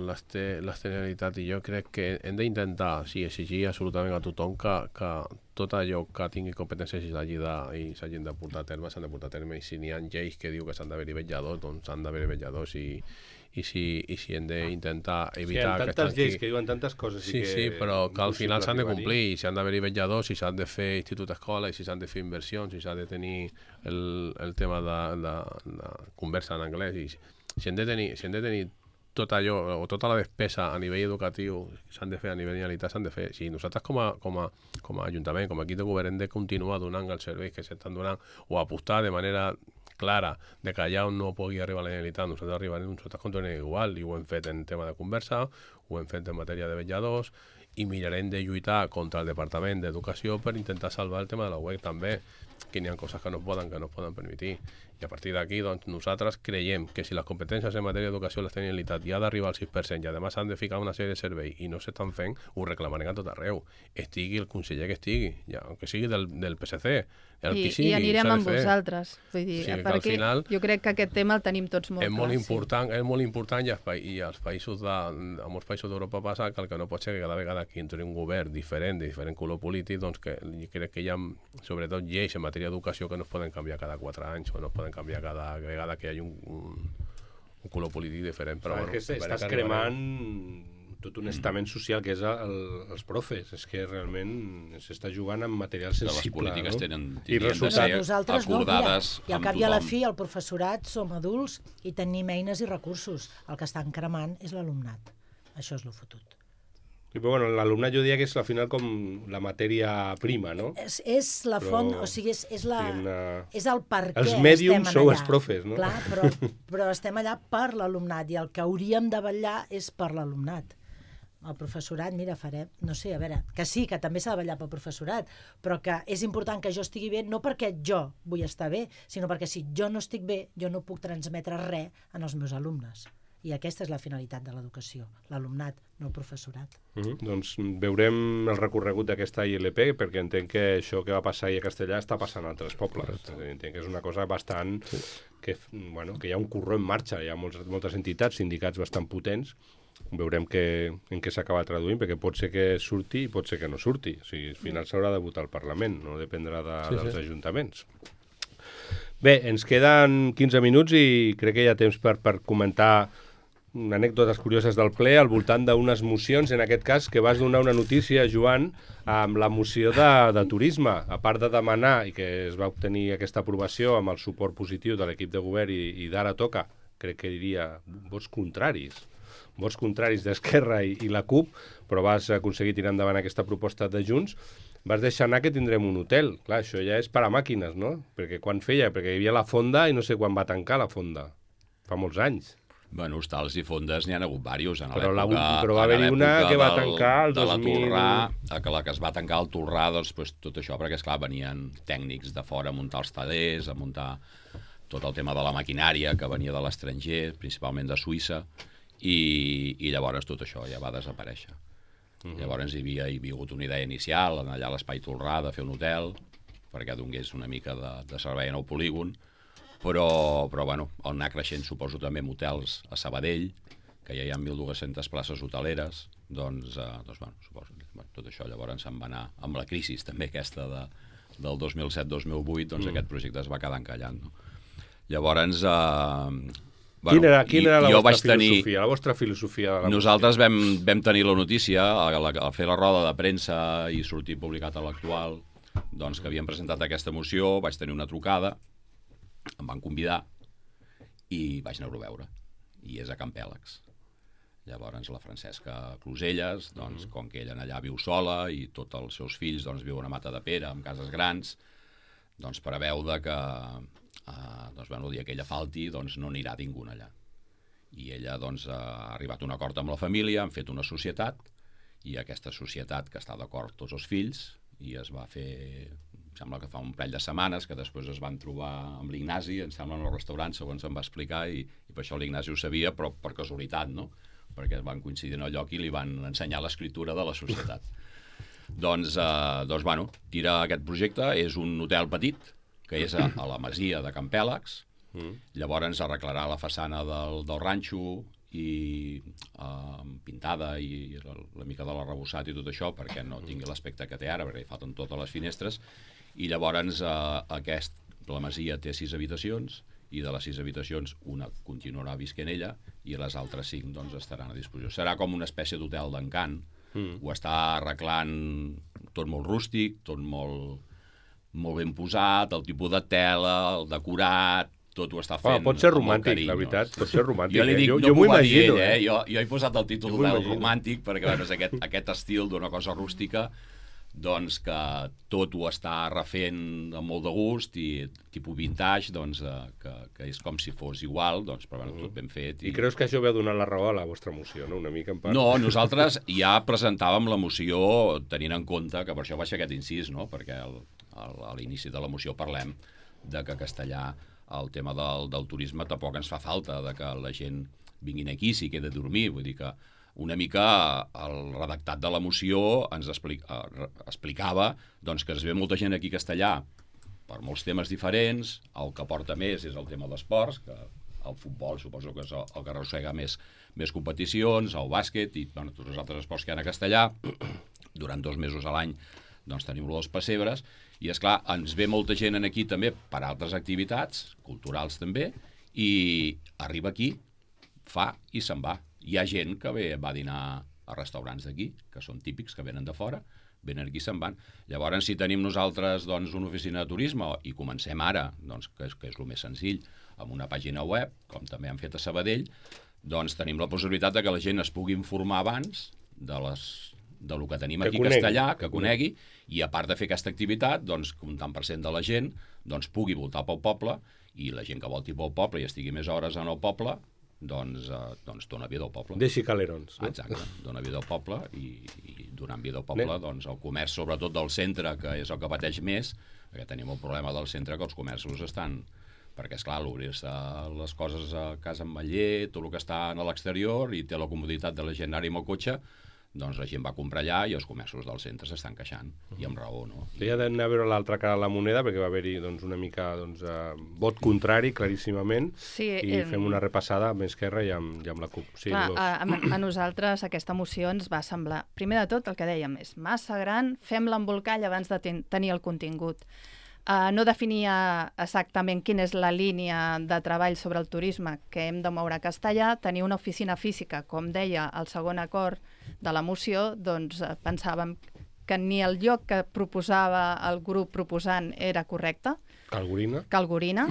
les té la Generalitat i jo crec que hem d'intentar, sí, exigir absolutament a tothom que, que tot allò que tingui competències i s'hagi de, i s'hagin de portar a terme, s'han de portar a terme, i si n'hi ha lleis que diu que s'han d'haver-hi vetlladors, doncs s'han d'haver-hi vetlladors, i, i, si, i si hem d'intentar evitar Sí, hi ha que tantes lleis que diuen tantes coses Sí, i que... sí, però que al final s'han de impossible complir, i s'han d'haver-hi vetlladors, i s'han de fer institut escola, i si s'han de fer inversions, i s'ha de tenir el, el tema de, de, de conversa en anglès, i si hem de tenir, si hem de tenir tot allò, o tota la despesa a nivell educatiu s'han de fer a nivell de Generalitat, s'han de fer. Si nosaltres com a, com a, com a Ajuntament, com a equip de govern, hem de continuar donant els serveis que s'estan donant o apostar de manera clara de que allà on no pugui arribar la Generalitat, nosaltres arribarem, nosaltres continuarem igual, i ho hem fet en tema de conversa, ho hem fet en matèria de vetlladors, i mirarem de lluitar contra el Departament d'Educació per intentar salvar el tema de la web també, que n'hi ha coses que no es poden, que no es poden permetir. I a partir d'aquí, doncs, nosaltres creiem que si les competències en matèria d'educació les tenen Generalitat i ha d'arribar al sis per cent i a més han de ficar una sèrie de serveis i no s'estan fent, ho reclamarem a tot arreu. Estigui el conseller que estigui, ja, que sigui del, del P S C, el I, que sigui, i anirem s'ha de amb fer. vosaltres. Vull dir, O sigui, que perquè al final jo crec que aquest tema el tenim tots molt és clar. molt important, és molt important i, els, pa i als països de, a molts països d'Europa passa que el que no pot ser que cada vegada que entri un govern diferent, de diferent color polític, doncs que jo crec que hi ha, sobretot, lleis en matèria d'educació que no es poden canviar cada quatre anys o no es poden canviar cada vegada que hi hagi un, un, un color polític diferent. Però, Però bueno, és que a veure estàs que arribarem. cremant tot un estament social que és el, els profes. És que realment s'està jugant amb material Que les sensible, polítiques no? tenen, I tindrien de resultat... ser nosaltres no, acordades mira, i al amb cap i a la tothom. fi el professorat som adults i tenim eines i recursos. El que estan cremant és l'alumnat. Això és lo fotut. I, però, bueno, l'alumnat jo diria que és al final com la matèria prima, no? És, és la font, Però, o sigui, és, és, la, diguem-ne, és el per què els mèdiums estem sou allà. els profes, no? Clar, però, però estem allà per l'alumnat i el que hauríem de vetllar és per l'alumnat. El professorat, mira, farem, no sé, a veure, que sí, que també s'ha de vetllar pel professorat, però que és important que jo estigui bé, no perquè jo vull estar bé, sinó perquè si jo no estic bé, jo no puc transmetre res en els meus alumnes. I aquesta és la finalitat de l'educació, l'alumnat, no el professorat. Uh -huh. Doncs veurem el recorregut d'aquesta I L P, perquè entenc que això que va passar ahir a Castellà està passant a altres pobles. És a dir, entenc que és una cosa bastant... Sí. Que, bueno, que hi ha un corró en marxa, hi ha moltes, moltes entitats, sindicats bastant potents. Veurem que, en què s'acaba traduint, perquè pot ser que surti i pot ser que no surti. O sigui, al final s'haurà de votar al Parlament, no dependrà de, sí, dels sí. ajuntaments. Bé, ens queden quinze minuts i crec que hi ha temps per, per comentar anècdotes curioses del ple al voltant d'unes mocions, en aquest cas, que vas donar una notícia, Joan, amb la moció de, de turisme. A part de demanar, i que es va obtenir aquesta aprovació amb el suport positiu de l'equip de govern i, i d'Ara Toca, crec que diria vots contraris, vots contraris d'Esquerra i, i la CUP, però vas aconseguir tirar endavant aquesta proposta de Junts, vas deixar anar que tindrem un hotel. Clar, això ja és per a màquines, no? Perquè quan feia? Perquè hi havia la fonda i no sé quan va tancar la fonda. Fa molts anys. Bueno, hostals i fondes n'hi ha hagut diversos. Però, la, però va haver-hi una que va tancar el dos mil... De la Torrà, que la que es va tancar al Torrà, doncs, pues, tot això, perquè, esclar, venien tècnics de fora a muntar els tallers, a muntar tot el tema de la maquinària que venia de l'estranger, principalment de Suïssa, i, i llavors tot això ja va desaparèixer. Uh-huh. Llavors hi havia, hi havia hagut una idea inicial, allà a l'Espai Torrà, de fer un hotel, perquè donés una mica de, de servei en el polígon, però, però bueno, el anar creixent suposo també amb hotels a Sabadell, que ja hi ha mil dues-centes places hoteleres, doncs, eh, doncs bueno, suposo que bueno, tot això llavors se'n va anar amb la crisi també aquesta de, del dos mil set dos mil vuit, doncs mm. aquest projecte es va quedar encallant. No? Llavors, eh, bueno, quina era, quina era la, vostra filosofia, tenir, la vostra filosofia? De la nosaltres vam, vam tenir la notícia, a, a, a fer la roda de premsa i sortir publicat a l'Actual, doncs que havíem presentat aquesta moció, vaig tenir una trucada, em van convidar i vaig anar-ho a veure. I és a Campèlex. Llavors la Francesca Closelles, doncs, com que ella allà viu sola i tots els seus fills doncs, viuen a Matadepera, amb cases grans, doncs preveu de que eh, doncs, bueno, el dia que ella falti doncs, no anirà ningú allà. I ella doncs, ha arribat a un acord amb la família, han fet una societat, i aquesta societat que està d'acord tots els fills, i es va fer... em sembla que fa un parell de setmanes, que després es van trobar amb l'Ignasi, em sembla, en el restaurant, segons em va explicar, i, i per això l'Ignasi ho sabia, però per casualitat, no? Perquè van coincidir en el lloc i li van ensenyar l'escriptura de la societat. doncs, eh, doncs, bueno, tira aquest projecte, és un hotel petit, que és a, a la masia de Campèlex, mm. llavors arreglarà la façana del, del ranxo, i eh, pintada i la, la mica de l'arrebossat i tot això perquè no tingui l'aspecte que té ara, perquè hi falten totes les finestres, i llavors eh, aquest, la masia té sis habitacions i de les sis habitacions una continuarà visquent ella i les altres cinc doncs, estaran a disposició. Serà com una espècie d'hotel d'encant, mm. ho està arreglant tot molt rústic, tot molt, molt ben posat, el tipus de tela, el decorat, tot ho està fent. Oh, pot ser romàntic, carinyo, la veritat, pot ser romàntic. Jo li dic, eh? jo, no jo m'ho imagino. Ell, eh? eh? Jo, jo he posat el títol del romàntic perquè bueno, és aquest, aquest estil d'una cosa rústica, doncs que tot ho està refent amb molt de gust i tipus vintage, doncs eh, que, que és com si fos igual, doncs però bueno, tot ben fet. I... I creus que això veu donar la raó a la vostra moció, no? Una mica en part. No, nosaltres ja presentàvem la moció tenint en compte que per això vaig fer aquest incís, no? Perquè el, el, a l'inici de la moció parlem de que Castellà el tema del, del turisme tampoc ens fa falta, de que la gent vinguin aquí, si queda a dormir, vull dir que una mica el redactat de la moció ens explica, explicava doncs, que es ve molta gent aquí a Castellà per molts temes diferents, el que porta més és el tema d'esports, que el futbol suposo que és el, el que arrossega més, més competicions, el bàsquet i bueno, tots els altres esports que hi ha a Castellà. Durant dos mesos a l'any doncs, tenim els pessebres, i és clar, ens ve molta gent aquí també per altres activitats, culturals també, i arriba aquí, fa i se'n va. Hi ha gent que ve, va dinar a restaurants d'aquí, que són típics, que venen de fora, venen aquí i se'n van. Llavors, si tenim nosaltres doncs, una oficina de turisme i comencem ara, doncs, que, és, que és el més senzill, amb una pàgina web, com també han fet a Sabadell, doncs tenim la possibilitat de que la gent es pugui informar abans de les de lo que tenim aquí a Castellà, que conegui, i a part de fer aquesta activitat, doncs, un tant per cent de la gent doncs, pugui voltar pel poble, i la gent que volti pel poble i estigui més hores en el poble, doncs, eh, doncs dona vida al poble. Deixi calerons. No? Exacte, dona vida al poble, i, i donant vida al poble, Bé. doncs el comerç, sobretot del centre, que és el que pateix més, perquè tenim el problema del centre que els comerços estan... Perquè, esclar, l'obrir-se les coses a casa amb Maller, tot el que està a l'exterior, i té la comoditat de la gent anar-hi amb el cotxe, doncs la gent va comprar allà i els comerços del centre s'estan queixant, uh -huh. i amb raó, no? Sí, ha d'anar a veure l'altra cara de la moneda, perquè va haver-hi doncs, una mica doncs, eh, vot contrari, claríssimament, sí, i eh, fem una repassada amb Esquerra i amb, i amb la CUP. Sí, clar, a, a, a nosaltres aquesta moció ens va semblar, primer de tot, el que dèiem, és massa gran, fem l'embolcall abans de ten tenir el contingut. Uh, no definia exactament quina és la línia de treball sobre el turisme que hem de moure a Castellà, tenir una oficina física, com deia el segon acord de la moció, doncs uh, pensàvem que ni el lloc que proposava el grup proposant era correcte, Calgorina, Calgorina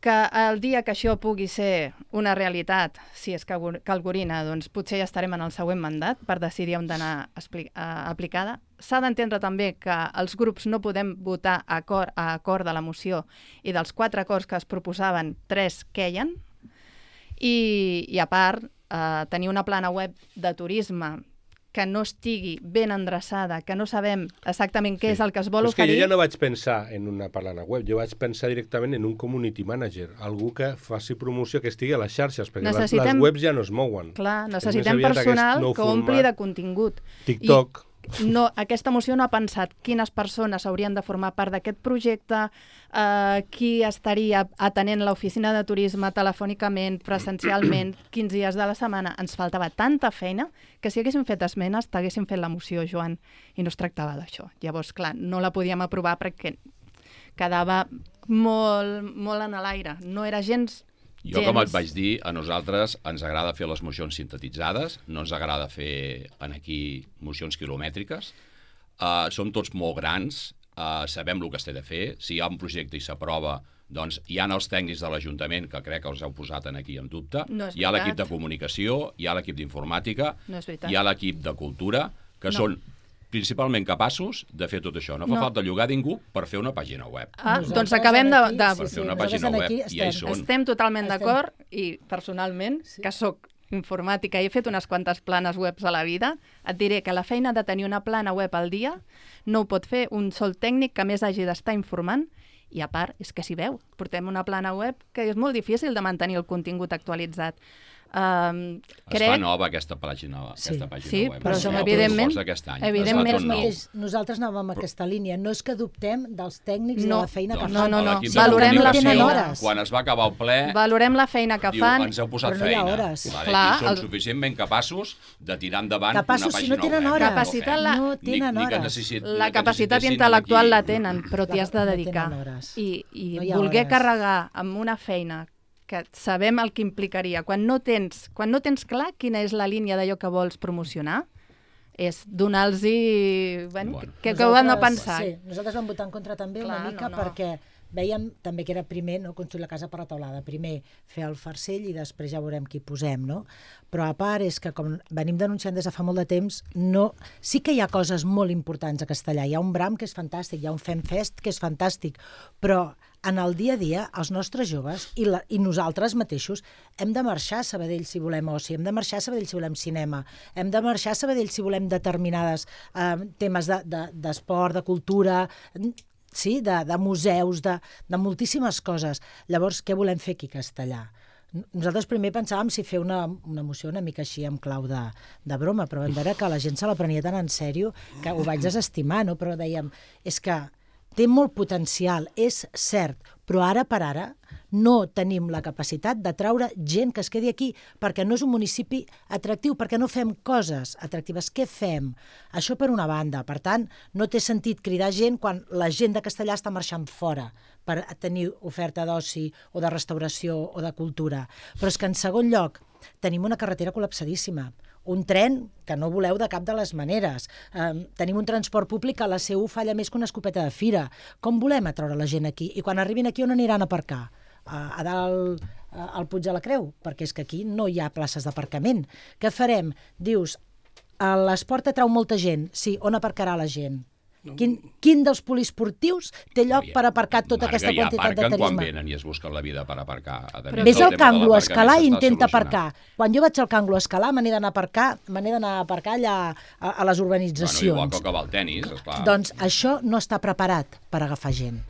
que el dia que això pugui ser una realitat, si és Calgorina, doncs potser ja estarem en el següent mandat per decidir on d'anar aplicada. S'ha d'entendre també que els grups no podem votar a acord, a acord de la moció, i dels quatre acords que es proposaven, tres queien, i, i a part, eh, tenir una plana web de turisme que no estigui ben endreçada, que no sabem exactament què sí. és el que es vol Però és oferir... que jo ja no vaig pensar en una plana web, jo vaig pensar directament en un community manager, algú que faci promoció, que estigui a les xarxes, perquè necessitem... les webs ja no es mouen. Clar, necessitem personal que ompli de contingut. TikTok... I... No, aquesta moció no ha pensat quines persones haurien de formar part d'aquest projecte, eh, qui estaria atenent l'oficina de turisme telefònicament, presencialment, quins dies de la setmana. Ens faltava tanta feina que si haguéssim fet esmenes t'haguéssim fet la moció, Joan, i no es tractava d'això. Llavors, clar, no la podíem aprovar perquè quedava molt, molt en l'aire. No era gens... Jo, com et vaig dir, a nosaltres ens agrada fer les mocions sintetitzades, no ens agrada fer en aquí mocions quilomètriques. Uh, som tots molt grans, uh, sabem el que es té de fer. Si hi ha un projecte i s'aprova, doncs hi ha els tècnics de l'Ajuntament, que crec que els heu posat aquí en dubte. No hi ha l'equip de comunicació, hi ha l'equip d'informàtica, no hi ha l'equip de cultura, que no. són principalment capaços de fer tot això. No fa no. falta llogar ningú per fer una pàgina web. Ah, doncs acabem de... de... Per fer una pàgina web, i ja hi són. Estem totalment d'acord, i personalment, sí. que sóc informàtica i he fet unes quantes planes webs a la vida, et diré que la feina de tenir una plana web al dia no ho pot fer un sol tècnic que més hagi d'estar informant, i a part, és que s'hi veu. Portem una plana web que és molt difícil de mantenir el contingut actualitzat. Um, es crec... fa nova aquesta pàgina, sí. aquesta pàgina sí, web. però es som, nova, evidentment, any. evidentment mateix, nosaltres anàvem a aquesta línia. No és que dubtem dels tècnics no. i de la feina doncs, que no, fan. no, no. Valorem la feina. Hores. Quan es va acabar el ple, valorem la feina que diu, fan. ens heu posat però no hi ha feina. hores. Vale, Clar, I són el... suficientment capaços de tirar endavant capaços, una pàgina si no tenen web. hores. Capacitat la... No tenen ni, ni que hores. necessit, La capacitat intel·lectual la tenen, però t'hi has de dedicar. No I, i no voler hores. carregar amb una feina que sabem el que implicaria, quan no tens, quan no tens clar quina és la línia d'allò que vols promocionar, és donar-los... Bueno, bueno. que, que ho han de pensar. Sí, nosaltres vam votar en contra també Clar, una mica no, no. perquè veiem també que era primer no construir la casa per la teulada, primer fer el farcell i després ja veurem qui posem, no? Però a part és que com venim denunciant des de fa molt de temps, no... sí que hi ha coses molt importants a Castellà, hi ha un Bram que és fantàstic, hi ha un Femfest que és fantàstic, però en el dia a dia els nostres joves i, la, i nosaltres mateixos hem de marxar a Sabadell si volem oci, hem de marxar a Sabadell si volem cinema, hem de marxar a Sabadell si volem determinades eh, temes d'esport, de, de, de cultura... sí, de, de museus, de, de moltíssimes coses. Llavors, què volem fer aquí a Castellà? Nosaltres primer pensàvem si fer una, una moció una mica així amb clau de, de broma, però vam veure que la gent se la prenia tan en sèrio que ho vaig desestimar, no? Però dèiem, és que té molt potencial, és cert, però ara per ara no tenim la capacitat de traure gent que es quedi aquí perquè no és un municipi atractiu, perquè no fem coses atractives. Què fem? Això per una banda. Per tant, no té sentit cridar gent quan la gent de Castellà està marxant fora per tenir oferta d'oci o de restauració o de cultura. Però és que en segon lloc, tenim una carretera col·lapsadíssima, un tren que no voleu de cap de les maneres, eh, tenim un transport públic que a la C U falla més que una escopeta de fira. Com volem atraure la gent aquí? I quan arribin aquí on aniran a aparcar? A, a dalt al Puig de la Creu? Perquè és que aquí no hi ha places d'aparcament. Què farem? Dius, l'esport atrau molta gent. Sí, on aparcarà la gent? Quin, quin dels poliesportius té lloc per aparcar tota Marga, aquesta quantitat de aparquen turisme? quan venen i es busquen la vida per aparcar. Ves al Canglo a escalar i intenta aparcar. Quan jo vaig al Canglo a escalar me n'he d'anar a aparcar, me n'he d'anar a aparcar allà a, a les urbanitzacions. Bueno, igual que acabar el tenis, esclar. Doncs això no està preparat per agafar gent.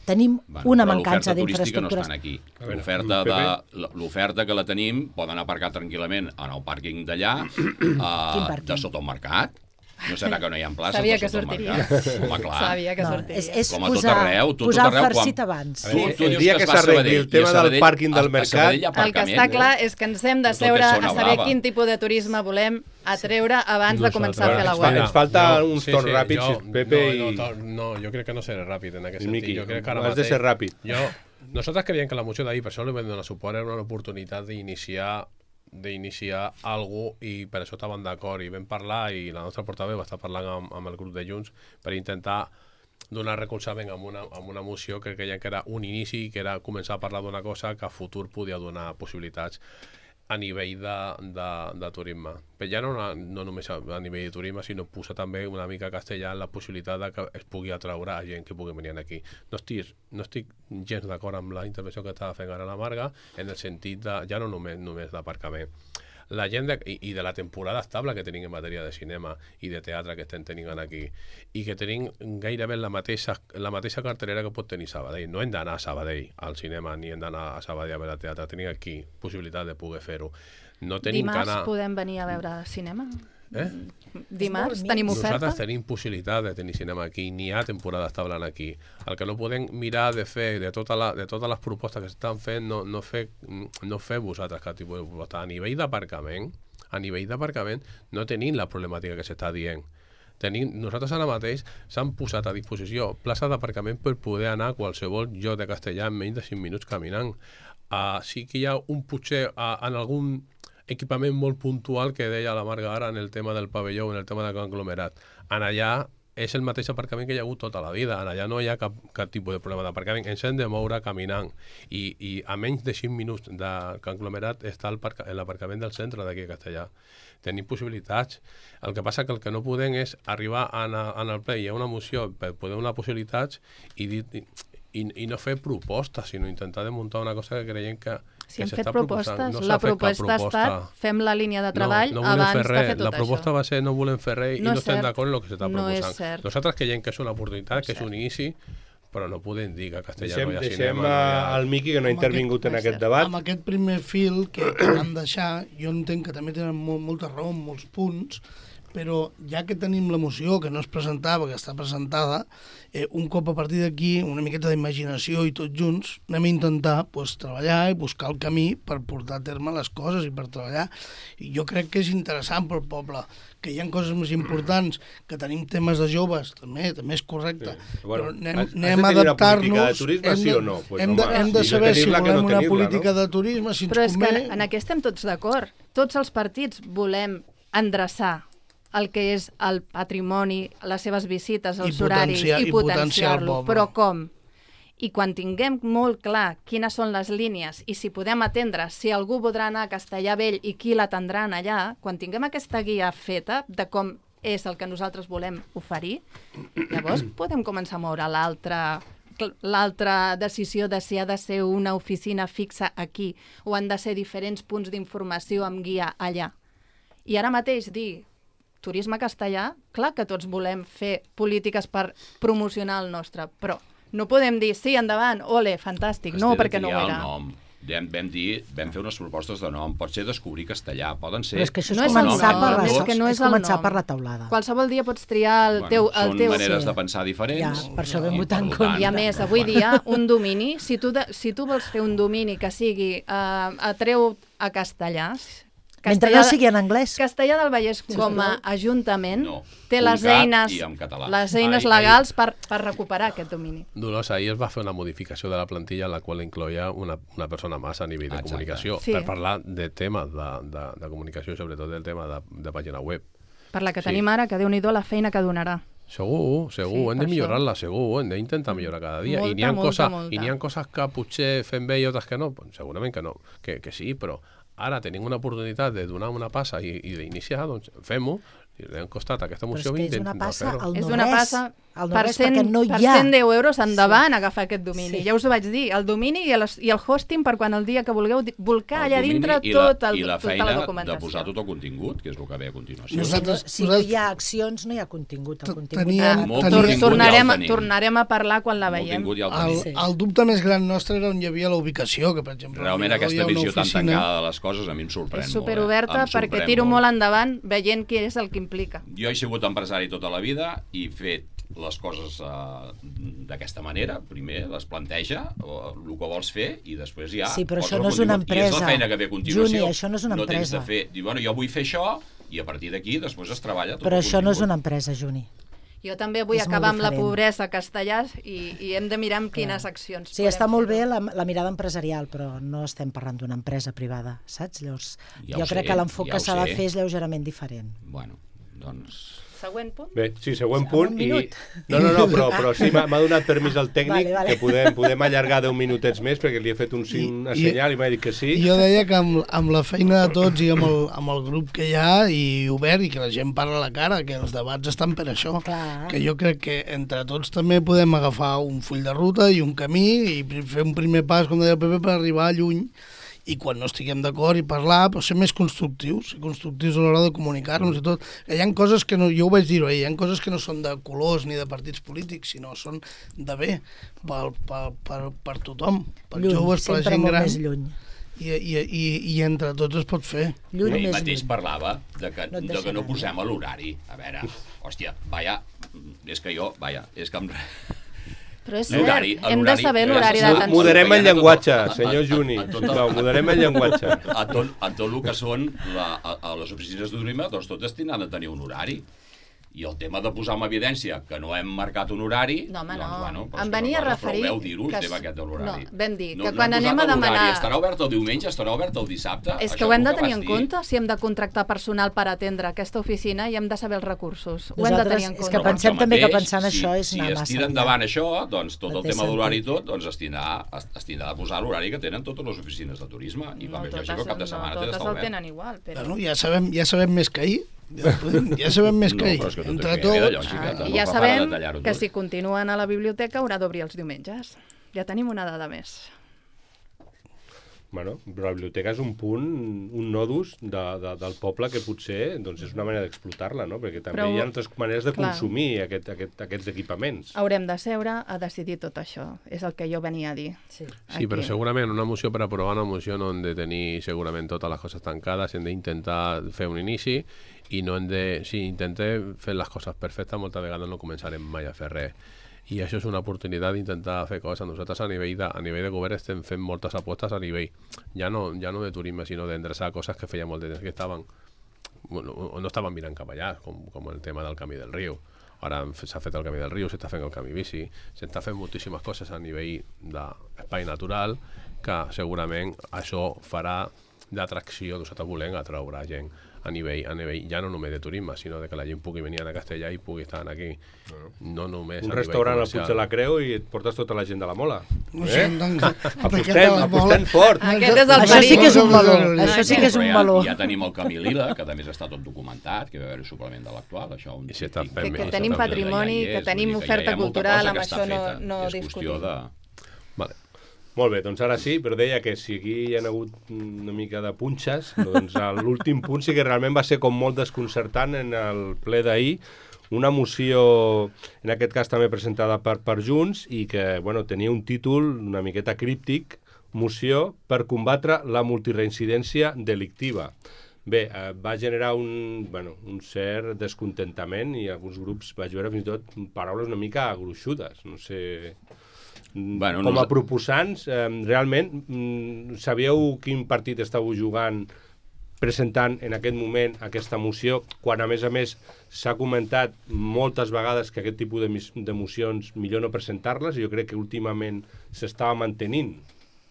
Tenim bueno, una mancança d'infraestructures. No estan aquí. L'oferta de, l'oferta que la tenim, poden aparcar tranquil·lament en el pàrquing d'allà, uh, de sota el mercat. No serà que no hi ha places Sabia de que sota el sortiria. mercat? Home, clar. Sabia que No, sortiria. és, és Com a tot posar, arreu, tot, posar tot arreu, el farcit quan- abans. Tu, tu El dius dia que que es va a s'arregli Sabadell, el tema i a del Sabadell- pàrquing del a- a mercat- Sabadell hi ha El que aparcament. està clar és que ens hem de Tot seure és a zona saber blava. quin tipus de turisme volem atreure abans de començar a fer la Ens fa- web. ens falta Jo- uns torns ràpids, jo- Pepe, no, i- no, to- no, jo crec que no seré ràpid en aquest sentit. Miqui, Jo crec que ara has de mateix- ser ràpid. Jo, nosaltres creiem que la moció d'ahir, per això li vam donar suport, era una oportunitat d'iniciar d'iniciar alguna cosa i per això estàvem d'acord i vam parlar i la nostra portaveu va estar parlant amb, amb el grup de Junts per intentar donar recolzament amb una, amb una moció que creiem que era un inici, que era començar a parlar d'una cosa que a futur podia donar possibilitats a nivell de, de, de turisme. Però ja no, no només a, a nivell de turisme, sinó posar també una mica castellà en la possibilitat de que es pugui atraure a gent que pugui venir aquí. No estic, no estic gens d'acord amb la intervenció que estava fent ara la Marga, en el sentit de, ja no només, només d'aparcament. La gent de, i, i de la temporada estable que tenim en matèria de cinema i de teatre que estem tenint aquí i que tenim gairebé la mateixa, la mateixa cartelera que pot tenir Sabadell. No hem d'anar a Sabadell al cinema ni hem d'anar a Sabadell a veure teatre, tenim aquí possibilitat de poder fer-ho. No tenim Dimarts que anar... podem venir a veure cinema? Eh? Dimarts tenim oferta? Nosaltres tenim possibilitat de tenir cinema aquí, n'hi ha temporada estable aquí. El que no podem mirar de fer, de, tota la, de totes les propostes que s'estan fent, no, no, fer, no fer vosaltres cap tipus de proposta. A nivell d'aparcament, a nivell d'aparcament, no tenim la problemàtica que s'està dient. Tenim, nosaltres ara mateix s'han posat a disposició places d'aparcament per poder anar a qualsevol lloc de Castellà en menys de cinc minuts caminant. Uh, sí que hi ha un potser uh, en algun equipament molt puntual que deia la Marga ara en el tema del pavelló, en el tema del conglomerat. En allà és el mateix aparcament que hi ha hagut tota la vida. En allà no hi ha cap, cap tipus de problema d'aparcament. Ens hem de moure caminant. I, i a menys de cinc minuts de conglomerat està l'aparcament del centre d'aquí a Castellà. Tenim possibilitats. El que passa que el que no podem és arribar en, a, en el ple i hi ha una moció per poder donar possibilitats i, dir, i, i no fer propostes, sinó intentar de muntar una cosa que creiem que Si hem que fet proposant. propostes, No la s'ha fet cap proposta ha estat fem la línia de treball no, no volem abans fer de res. fer tot La proposta això. va ser no volem fer res i No no és estem cert. d'acord en el que s'està No és proposant. cert. Nosaltres creiem que és una oportunitat, No és que és un cert. inici, però no podem dir que a Castellà Deixem, no hi ha deixem cinema. No hi ha... al Miqui, que no ha Amb intervingut aquest- en aquest cert. debat. Amb aquest primer fil que, que van deixar, jo entenc que també tenen molt, molta raó en molts punts, però ja que tenim la moció, que no es presentava, que està presentada, eh, un cop a partir d'aquí, una miqueta d'imaginació i tots junts, anem a intentar pues, treballar i buscar el camí per portar a terme les coses i per treballar. I jo crec que és interessant pel poble, que hi ha coses més importants, que tenim temes de joves, també també és correcte, Sí. Bueno, però anem, has- has de anem a tenir una política adaptar-nos... de turisme, hem sí o no? Pues, hem, de, home, hem de millor saber si tenir-la que volem no una tenir-la, política no? de turisme, si ens Però és que convé... en, en aquest estem tots d'acord. Tots els partits volem endreçar el que és el patrimoni, les seves visites, els I horaris, potenciar- i i potenciar el potenciar-lo. poble. Però com? I quan tinguem molt clar quines són les línies i si podem atendre, si algú voldrà anar a Castellà Vell i qui l'atendran allà, quan tinguem aquesta guia feta de com és el que nosaltres volem oferir, llavors podem començar a moure l'altra l'altra decisió de si ha de ser una oficina fixa aquí o han de ser diferents punts d'informació amb guia allà. I ara mateix dir turisme castellà, clar que tots volem fer polítiques per promocionar el nostre, però no podem dir sí, endavant, ole, fantàstic, no, perquè no ho era. Nom. Vam, vam dir, vam fer unes propostes de nom, pot ser descobrir castellà, poden ser... Però és que això és No és el començar, nom, per, la, és que no és el començar nom. per la taulada. Qualsevol dia pots triar el teu... El són teu... maneres Sí. de pensar diferents. Ja, per això vam i, votar en per tant, contra. I a més, avui dia, un domini, si tu, de, si tu vols fer un domini que sigui uh, atreu a castellà, Mentre no sigui en anglès. Castellà del Vallès com a ajuntament No. té les Punt cat eines, i en català. les eines Ai, ai. legals per, per recuperar aquest domini. Dolors, ahir es va fer una modificació de la plantilla en la qual incloïa una, una persona massa a nivell de Exacte. comunicació Sí. per parlar de temes de, de, de comunicació, sobretot del tema de, de pàgina web. Per la que Sí. tenim ara, que Déu-n'hi-do la feina que donarà. Segur, segur, Sí, hem per de això. millorar-la, segur, hem d'intentar millorar cada dia. I n'hi ha, Molta, molta, coses, molta. I n'hi ha coses que potser fem bé i altres que no, pues, segurament que no, que, que sí, però ara tenim una oportunitat de donar una passa i, i d'iniciar, doncs fem-ho. I li han costat aquesta Però és moció que és vint una de passa fer-ho. al És no una res. passa Al no per res, cent, perquè no per hi ha. cent deu euros endavant agafar aquest domini. Sí. Ja us ho vaig dir, el domini i el, i el hosting per quan el dia que vulgueu di- volcar El allà domini dintre i la, tot el, i la tota feina la de documentació. posar tot el contingut, que és el que ve a continuació. Nosaltres- Si no hi ha accions, no hi ha contingut. El T- contingut teníem- ha- Molt Tor- Tor contingut tornarem, ja a, el tenim. tornarem a parlar quan la Molt veiem. contingut ja el El, tenim. Sí. el dubte més gran nostre era on hi havia la ubicació, que per exemple... Realment al mirador hi aquesta ha una visió tan oficina. tancada de les coses a mi em sorprèn És molt. superoberta eh? Em perquè sorprèn tiro molt endavant veient què és el que implica. Jo he sigut empresari tota la vida i he fet les coses uh, d'aquesta manera. Primer les planteja, o, el que vols fer, i després ja... Sí, però poses això el no és una contingut. I és empresa. la feina que ve a continuació. Juni, això no és una no tens de empresa. fer... Diu, bueno, jo vull fer això, i a partir d'aquí després es treballa tot Però el això no és contingut. una empresa, Juni. Jo també vull És molt acabar amb la diferent. pobresa a Castellà i, i hem de mirar amb quines accions Sí, podem està molt bé fer-ho. la, la mirada empresarial, però no estem parlant d'una empresa privada, saps? Llavors, Ja jo ho crec sé, que l'enfoc ja que ho s'ha de sé. fer és lleugerament diferent. Bueno, doncs... Següent punt? Bé, sí, següent Un punt. I... minut. No, no, no, però, però sí, m'ha m'ha donat permís el tècnic Vale, vale. que podem, podem allargar deu minutets més perquè li he fet un, sign, una I- senyal i m'ha dit que sí. I jo deia que amb, amb la feina de tots i amb el, amb el grup que hi ha i obert i que la gent parla a la cara, que els debats estan per això, Clar. que jo crec que entre tots també podem agafar un full de ruta i un camí i fer un primer pas, com deia el Pepe, per arribar lluny i quan no estiguem d'acord i parlar, però ser més constructius, ser constructius a l'hora de comunicar-nos i tot. Que hi ha coses que no, jo ho vaig dir ahir, hi ha coses que no són de colors ni de partits polítics, sinó són de bé per, per, per, per tothom, per Lluny, joves, per la sempre gent molt gran. més lluny. I, i, i, i entre tots es pot fer. Lluny Ell més mateix lluny. parlava de que, No et de deixa que no anar, posem a l'horari. A veure, hòstia, vaya, és que jo, vaya, és que em... Però és L'horari, cert, hem de l'horari, saber eh, l'horari sí, d'atenció. Moderem el Veient a tot- llenguatge, a- a- senyor a- Juni. a tot el- Sisplau, moderem el llenguatge. A tot, a tot el que són la, a, a les oficines d'Urima, doncs totes tindran de tenir un horari. I el tema de posar en evidència que no hem marcat un horari... No, home, doncs, no. bueno, però és Em que venia a no, referir Però veu dir-ho, el que tema s- aquest de l'horari. no, vam dir no, que no quan hem anem posat a l'horari. demanar- Estarà obert el diumenge, estarà obert el dissabte... És Això que ho hem és de el tenir vas en dir. compte si hem de contractar personal per atendre aquesta oficina i hem de saber els recursos. Ho hem de Nosaltres- tenir en és compte. que Però per pensem això també que mateix, pensant si, això és si anar es massa tira enllà. endavant això, doncs tot No el té tema de l'horari i sentit. tot, doncs es tindrà, es, es tindrà de posar l'horari que tenen totes les oficines de turisme. I No com és totes, lògic, el cap de no setmana té totes d'estar el obert. tenen igual, però... Bueno, ja sabem, ja sabem més que ahir. Ja, podem- ja sabem més No, que ahir. però és que tot Entre això ja ve de tots... lògica. Ah, tampoc I ja fa falta sabem detallar-ho que tot. si continuen a la biblioteca haurà d'obrir els diumenges. Ja tenim una dada més. Bueno, però la biblioteca és un punt, un nodus de, de, del poble que potser doncs és una manera d'explotar-la, no? Perquè també Però- hi ha altres maneres de clar. consumir aquest, aquest, aquests equipaments. Haurem de seure a decidir tot això. És el que jo venia a dir. Sí. Sí, però Aquí. segurament una moció per aprovar una moció no hem de tenir segurament totes les coses tancades, hem d'intentar fer un inici i no hem de... Si intentem fer les coses perfectes, moltes vegades no començarem mai a fer res. I això és una oportunitat d'intentar fer coses. Nosaltres a nivell de, a nivell de govern estem fent moltes apostes a nivell, ja no, ja no de turisme, sinó d'endreçar coses que feia molt de temps que estaven, bueno, o no estaven mirant cap allà, com, com el tema del camí del riu. Ara s'ha fet el camí del riu, s'està fent el camí bici, s'està fent moltíssimes coses a nivell d'espai natural que segurament això farà d'atracció, nosaltres volem atraure gent a nivell, a nivell, ja no només de turisme, sinó de que la gent pugui venir a Castellà i pugui estar aquí. No només Un a nivell restaurant al comercial. Puig de la Creu i et portes tota la gent de la Mola. No sé, Eh? doncs, Apostem, apostem fort. Aquest és el Això sí que és un perill. valor. Això sí que és Però un ja, valor. ja tenim el Camí Lila, que també està tot documentat, que va haver-hi suplement de l'actual. Això un I si està típic- fent Que, que bé, tenim això també. patrimoni, Ja hi que és, tenim vull dir que oferta ja hi ha molta cultural, cosa amb que està això no, feta. no és discutim. qüestió de... Vale. Molt bé, doncs ara sí, però deia que si aquí hi ha hagut una mica de punxes, doncs l'últim punt sí que realment va ser com molt desconcertant en el ple d'ahir, una moció, en aquest cas també presentada per, per Junts, i que bueno, tenia un títol una miqueta críptic, moció per combatre la multireincidència delictiva. Bé, eh, va generar un, bueno, un cert descontentament i alguns grups vaig veure fins i tot paraules una mica gruixudes, no sé... Bueno, Com a nos- proposants, eh, realment, mm, sabíeu quin partit estàveu jugant presentant en aquest moment aquesta moció, quan a més a més s'ha comentat moltes vegades que aquest tipus de mocions millor no presentar-les, i jo crec que últimament s'estava mantenint.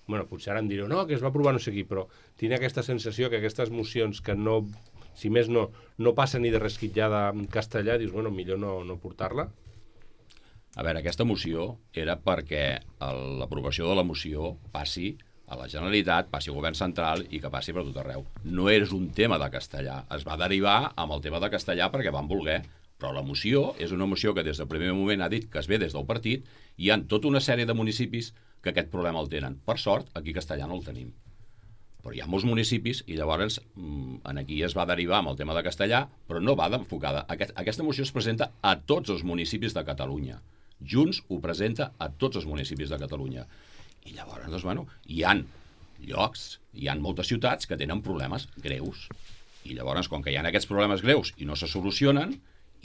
Bueno, potser ara em direu, no, que es va aprovar no sé qui, però tinc aquesta sensació que aquestes mocions que no, si més no, no passen ni de resquitllada en castellà, dius, bueno, millor no, no portar-la. A veure, aquesta moció era perquè l'aprovació de la moció passi a la Generalitat, passi al govern central i que passi per tot arreu. No és un tema de castellà. Es va derivar amb el tema de castellà perquè van voler, però la moció és una moció que des del primer moment ha dit que es ve des del partit i hi ha tota una sèrie de municipis que aquest problema el tenen. Per sort, aquí a castellà no el tenim. Però hi ha molts municipis i llavors aquí es va derivar amb el tema de castellà, però no va d'enfocada. Aquesta moció es presenta a tots els municipis de Catalunya. Junts ho presenta a tots els municipis de Catalunya. I llavors, doncs, bueno, hi ha llocs, hi ha moltes ciutats que tenen problemes greus. I llavors, com que hi ha aquests problemes greus i no se solucionen,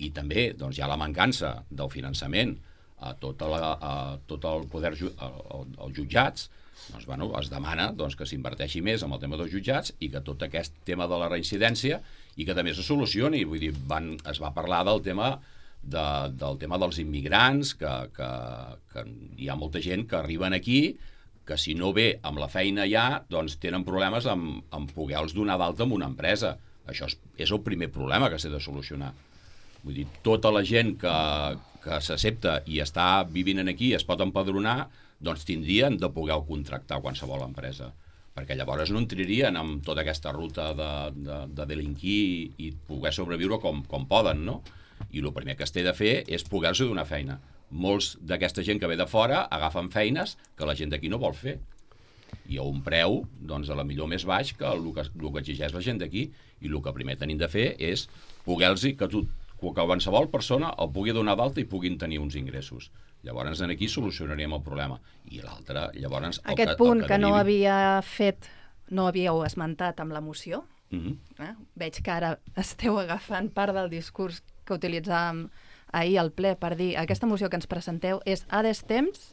i també doncs, hi ha la mancança del finançament a tot, la, a tot el poder, als jutjats, doncs, bueno, es demana doncs, que s'inverteixi més en el tema dels jutjats i que tot aquest tema de la reincidència i que també se solucioni. Vull dir, van, es va parlar del tema de, del tema dels immigrants, que, que, que hi ha molta gent que arriben aquí, que si no ve amb la feina ja, doncs tenen problemes amb, amb poder-los donar d'alta en una empresa. Això és, és el primer problema que s'ha de solucionar. Vull dir, tota la gent que, que s'accepta i està vivint aquí i es pot empadronar, doncs tindrien de poder contractar qualsevol empresa. Perquè llavors no entrarien en tota aquesta ruta de, de, de delinquir i poder sobreviure com, com poden, no? I el primer que es té de fer és poder-se donar feina. Molts d'aquesta gent que ve de fora agafen feines que la gent d'aquí no vol fer. I a un preu, doncs, a la millor més baix que el que, el que exigeix la gent d'aquí. I el que primer tenim de fer és poder-los que, tu, que qualsevol persona el pugui donar d'alta i puguin tenir uns ingressos. Llavors, aquí solucionaríem el problema. I l'altre, llavors... Aquest punt que, que no havia fet, no havíeu esmentat amb la moció, mm-hmm. eh? Veig que ara esteu agafant part del discurs que utilitzàvem ahir al ple per dir aquesta moció que ens presenteu és a destemps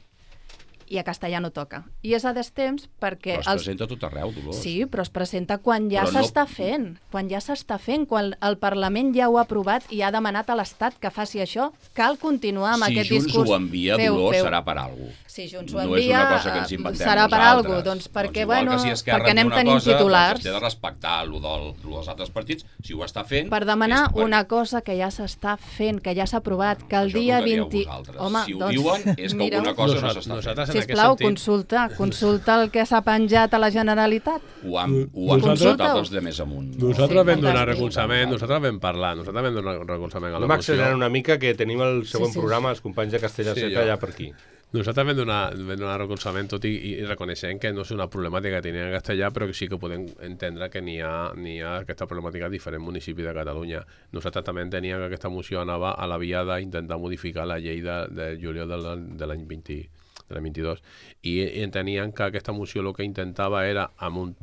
i a castellà no toca. I és a destemps perquè... Però es els... presenta tot arreu, Dolors. Sí, però es presenta quan ja s'està no... fent. Quan ja s'està fent, quan el Parlament ja ho ha aprovat i ha demanat a l'Estat que faci això. Cal continuar amb si aquest discurs. Si Junts ho envia, feu, Dolors, feu. serà per alguna cosa. Si Junts ho envia, no serà per alguna cosa. Doncs perquè, doncs bueno, si perquè anem tenint cosa, titulars. Doncs es té de respectar el del, dels altres partits, si ho està fent... Per demanar per... una cosa que ja s'està fent, que ja s'ha aprovat, que el això dia vint... Home, si ho doncs, diuen, és que alguna cosa no s'està fent. Sisplau, consulta, consulta el que s'ha penjat a la Generalitat. Ho han, ho han consultat els de més amunt. Nosaltres vam donar recolzament, nosaltres vam parlar, nosaltres vam donar recolzament a la moció. Vam accelerar una mica, que tenim el següent programa, els companys de Castella Seta allà per aquí. Nosaltres vam donar, vam donar recolzament, tot i, i reconeixem que no és una problemàtica que tenia en castellà, però que sí que podem entendre que n'hi ha, n'hi ha aquesta problemàtica a diferents municipis de Catalunya. Nosaltres també enteníem que aquesta moció anava a la via d'intentar modificar la llei de, de juliol de, de l'any vint, de l'any vint-i-dos, i, i enteníem que aquesta moció el que intentava era, amb un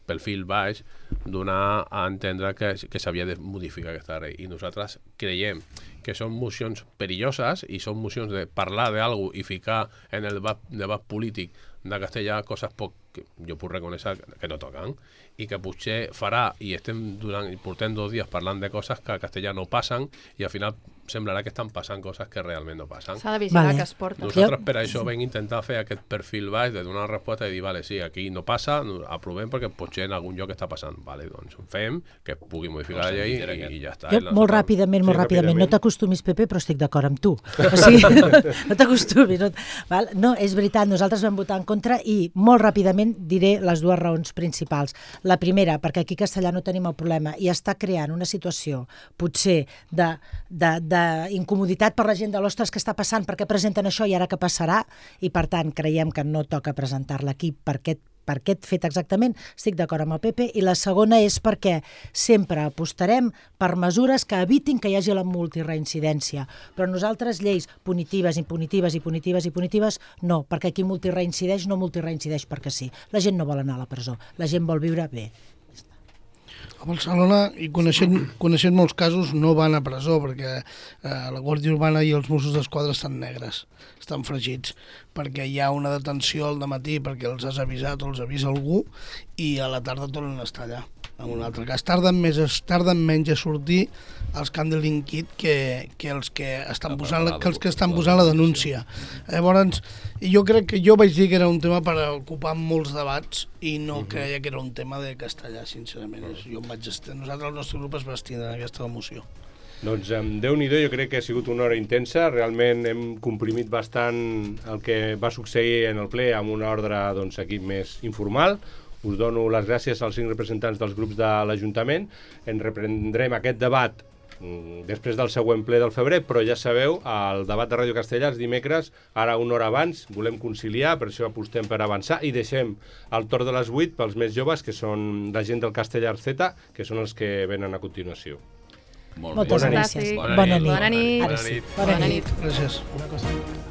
perfil baix, donar a entendre que, que s'havia de modificar aquesta llei. I nosaltres creiem que són mocions perilloses i són mocions de parlar d'algú i ficar en el debat, debat polític de castellà coses poc, que jo puc reconèixer que no toquen i que potser farà, i estem durant, portem dos dies parlant de coses que a castellà no passen i al final semblarà que estan passant coses que realment no passen. S'ha de vigilar vale. Que es porta. Nosaltres per això vam intentar fer aquest perfil baix de donar resposta i dir, vale, sí, aquí no passa, aprovem perquè potser en algun lloc està passant. Vale, doncs ho fem, que pugui modificar no, la llei i, i ja està. Jo, molt ràpidament, molt sí, ràpidament, no t'acostumis, Pepe, però estic d'acord amb tu. O sigui, no t'acostumis. No, val? No, és veritat, nosaltres vam votar en contra i molt ràpidament diré les dues raons principals. La primera, perquè aquí a Castellà no tenim el problema i està creant una situació, potser, de, de, d'incomoditat per la gent de l'ostres que està passant, perquè presenten això i ara què passarà, i per tant creiem que no toca presentar-la aquí per aquest, per aquest fet exactament, estic d'acord amb el Pepe, i la segona és perquè sempre apostarem per mesures que evitin que hi hagi la multireincidència, però nosaltres lleis punitives, impunitives i punitives i punitives, no, perquè aquí multireincideix, no multireincideix perquè sí. La gent no vol anar a la presó, la gent vol viure bé. A Barcelona, i coneixent, coneixent molts casos, no van a presó perquè eh, la Guàrdia Urbana i els Mossos d'Esquadra estan negres, estan fregits, perquè hi ha una detenció al dematí perquè els has avisat o els avisa algú i a la tarda tornen a estar allà. en un altre cas. Tarden, més, tarden menys a sortir els Candling Kit que, que els que estan posant, que els que estan posant la denúncia. Llavors, jo crec que jo vaig dir que era un tema per ocupar molts debats i no uh-huh. creia que era un tema de castellà, sincerament. Uh-huh. Jo em vaig estar, nosaltres, el nostre grup es va estendre en aquesta moció. Doncs amb Déu-n'hi-do, jo crec que ha sigut una hora intensa. Realment hem comprimit bastant el que va succeir en el ple amb una ordre doncs, aquí més informal. Us dono les gràcies als cinc representants dels grups de l'Ajuntament. En reprendrem aquest debat després del següent ple del febrer, però ja sabeu, el debat de Ràdio Castellà els dimecres, ara una hora abans, volem conciliar, per això apostem per avançar i deixem el torn de les vuit pels més joves, que són la gent del Castellar Z, que són els que venen a continuació. Molt bé. Moltes Bona gràcies. nit. Bona nit. Bona nit. Bona nit. Bona nit. Gràcies. Una cosa.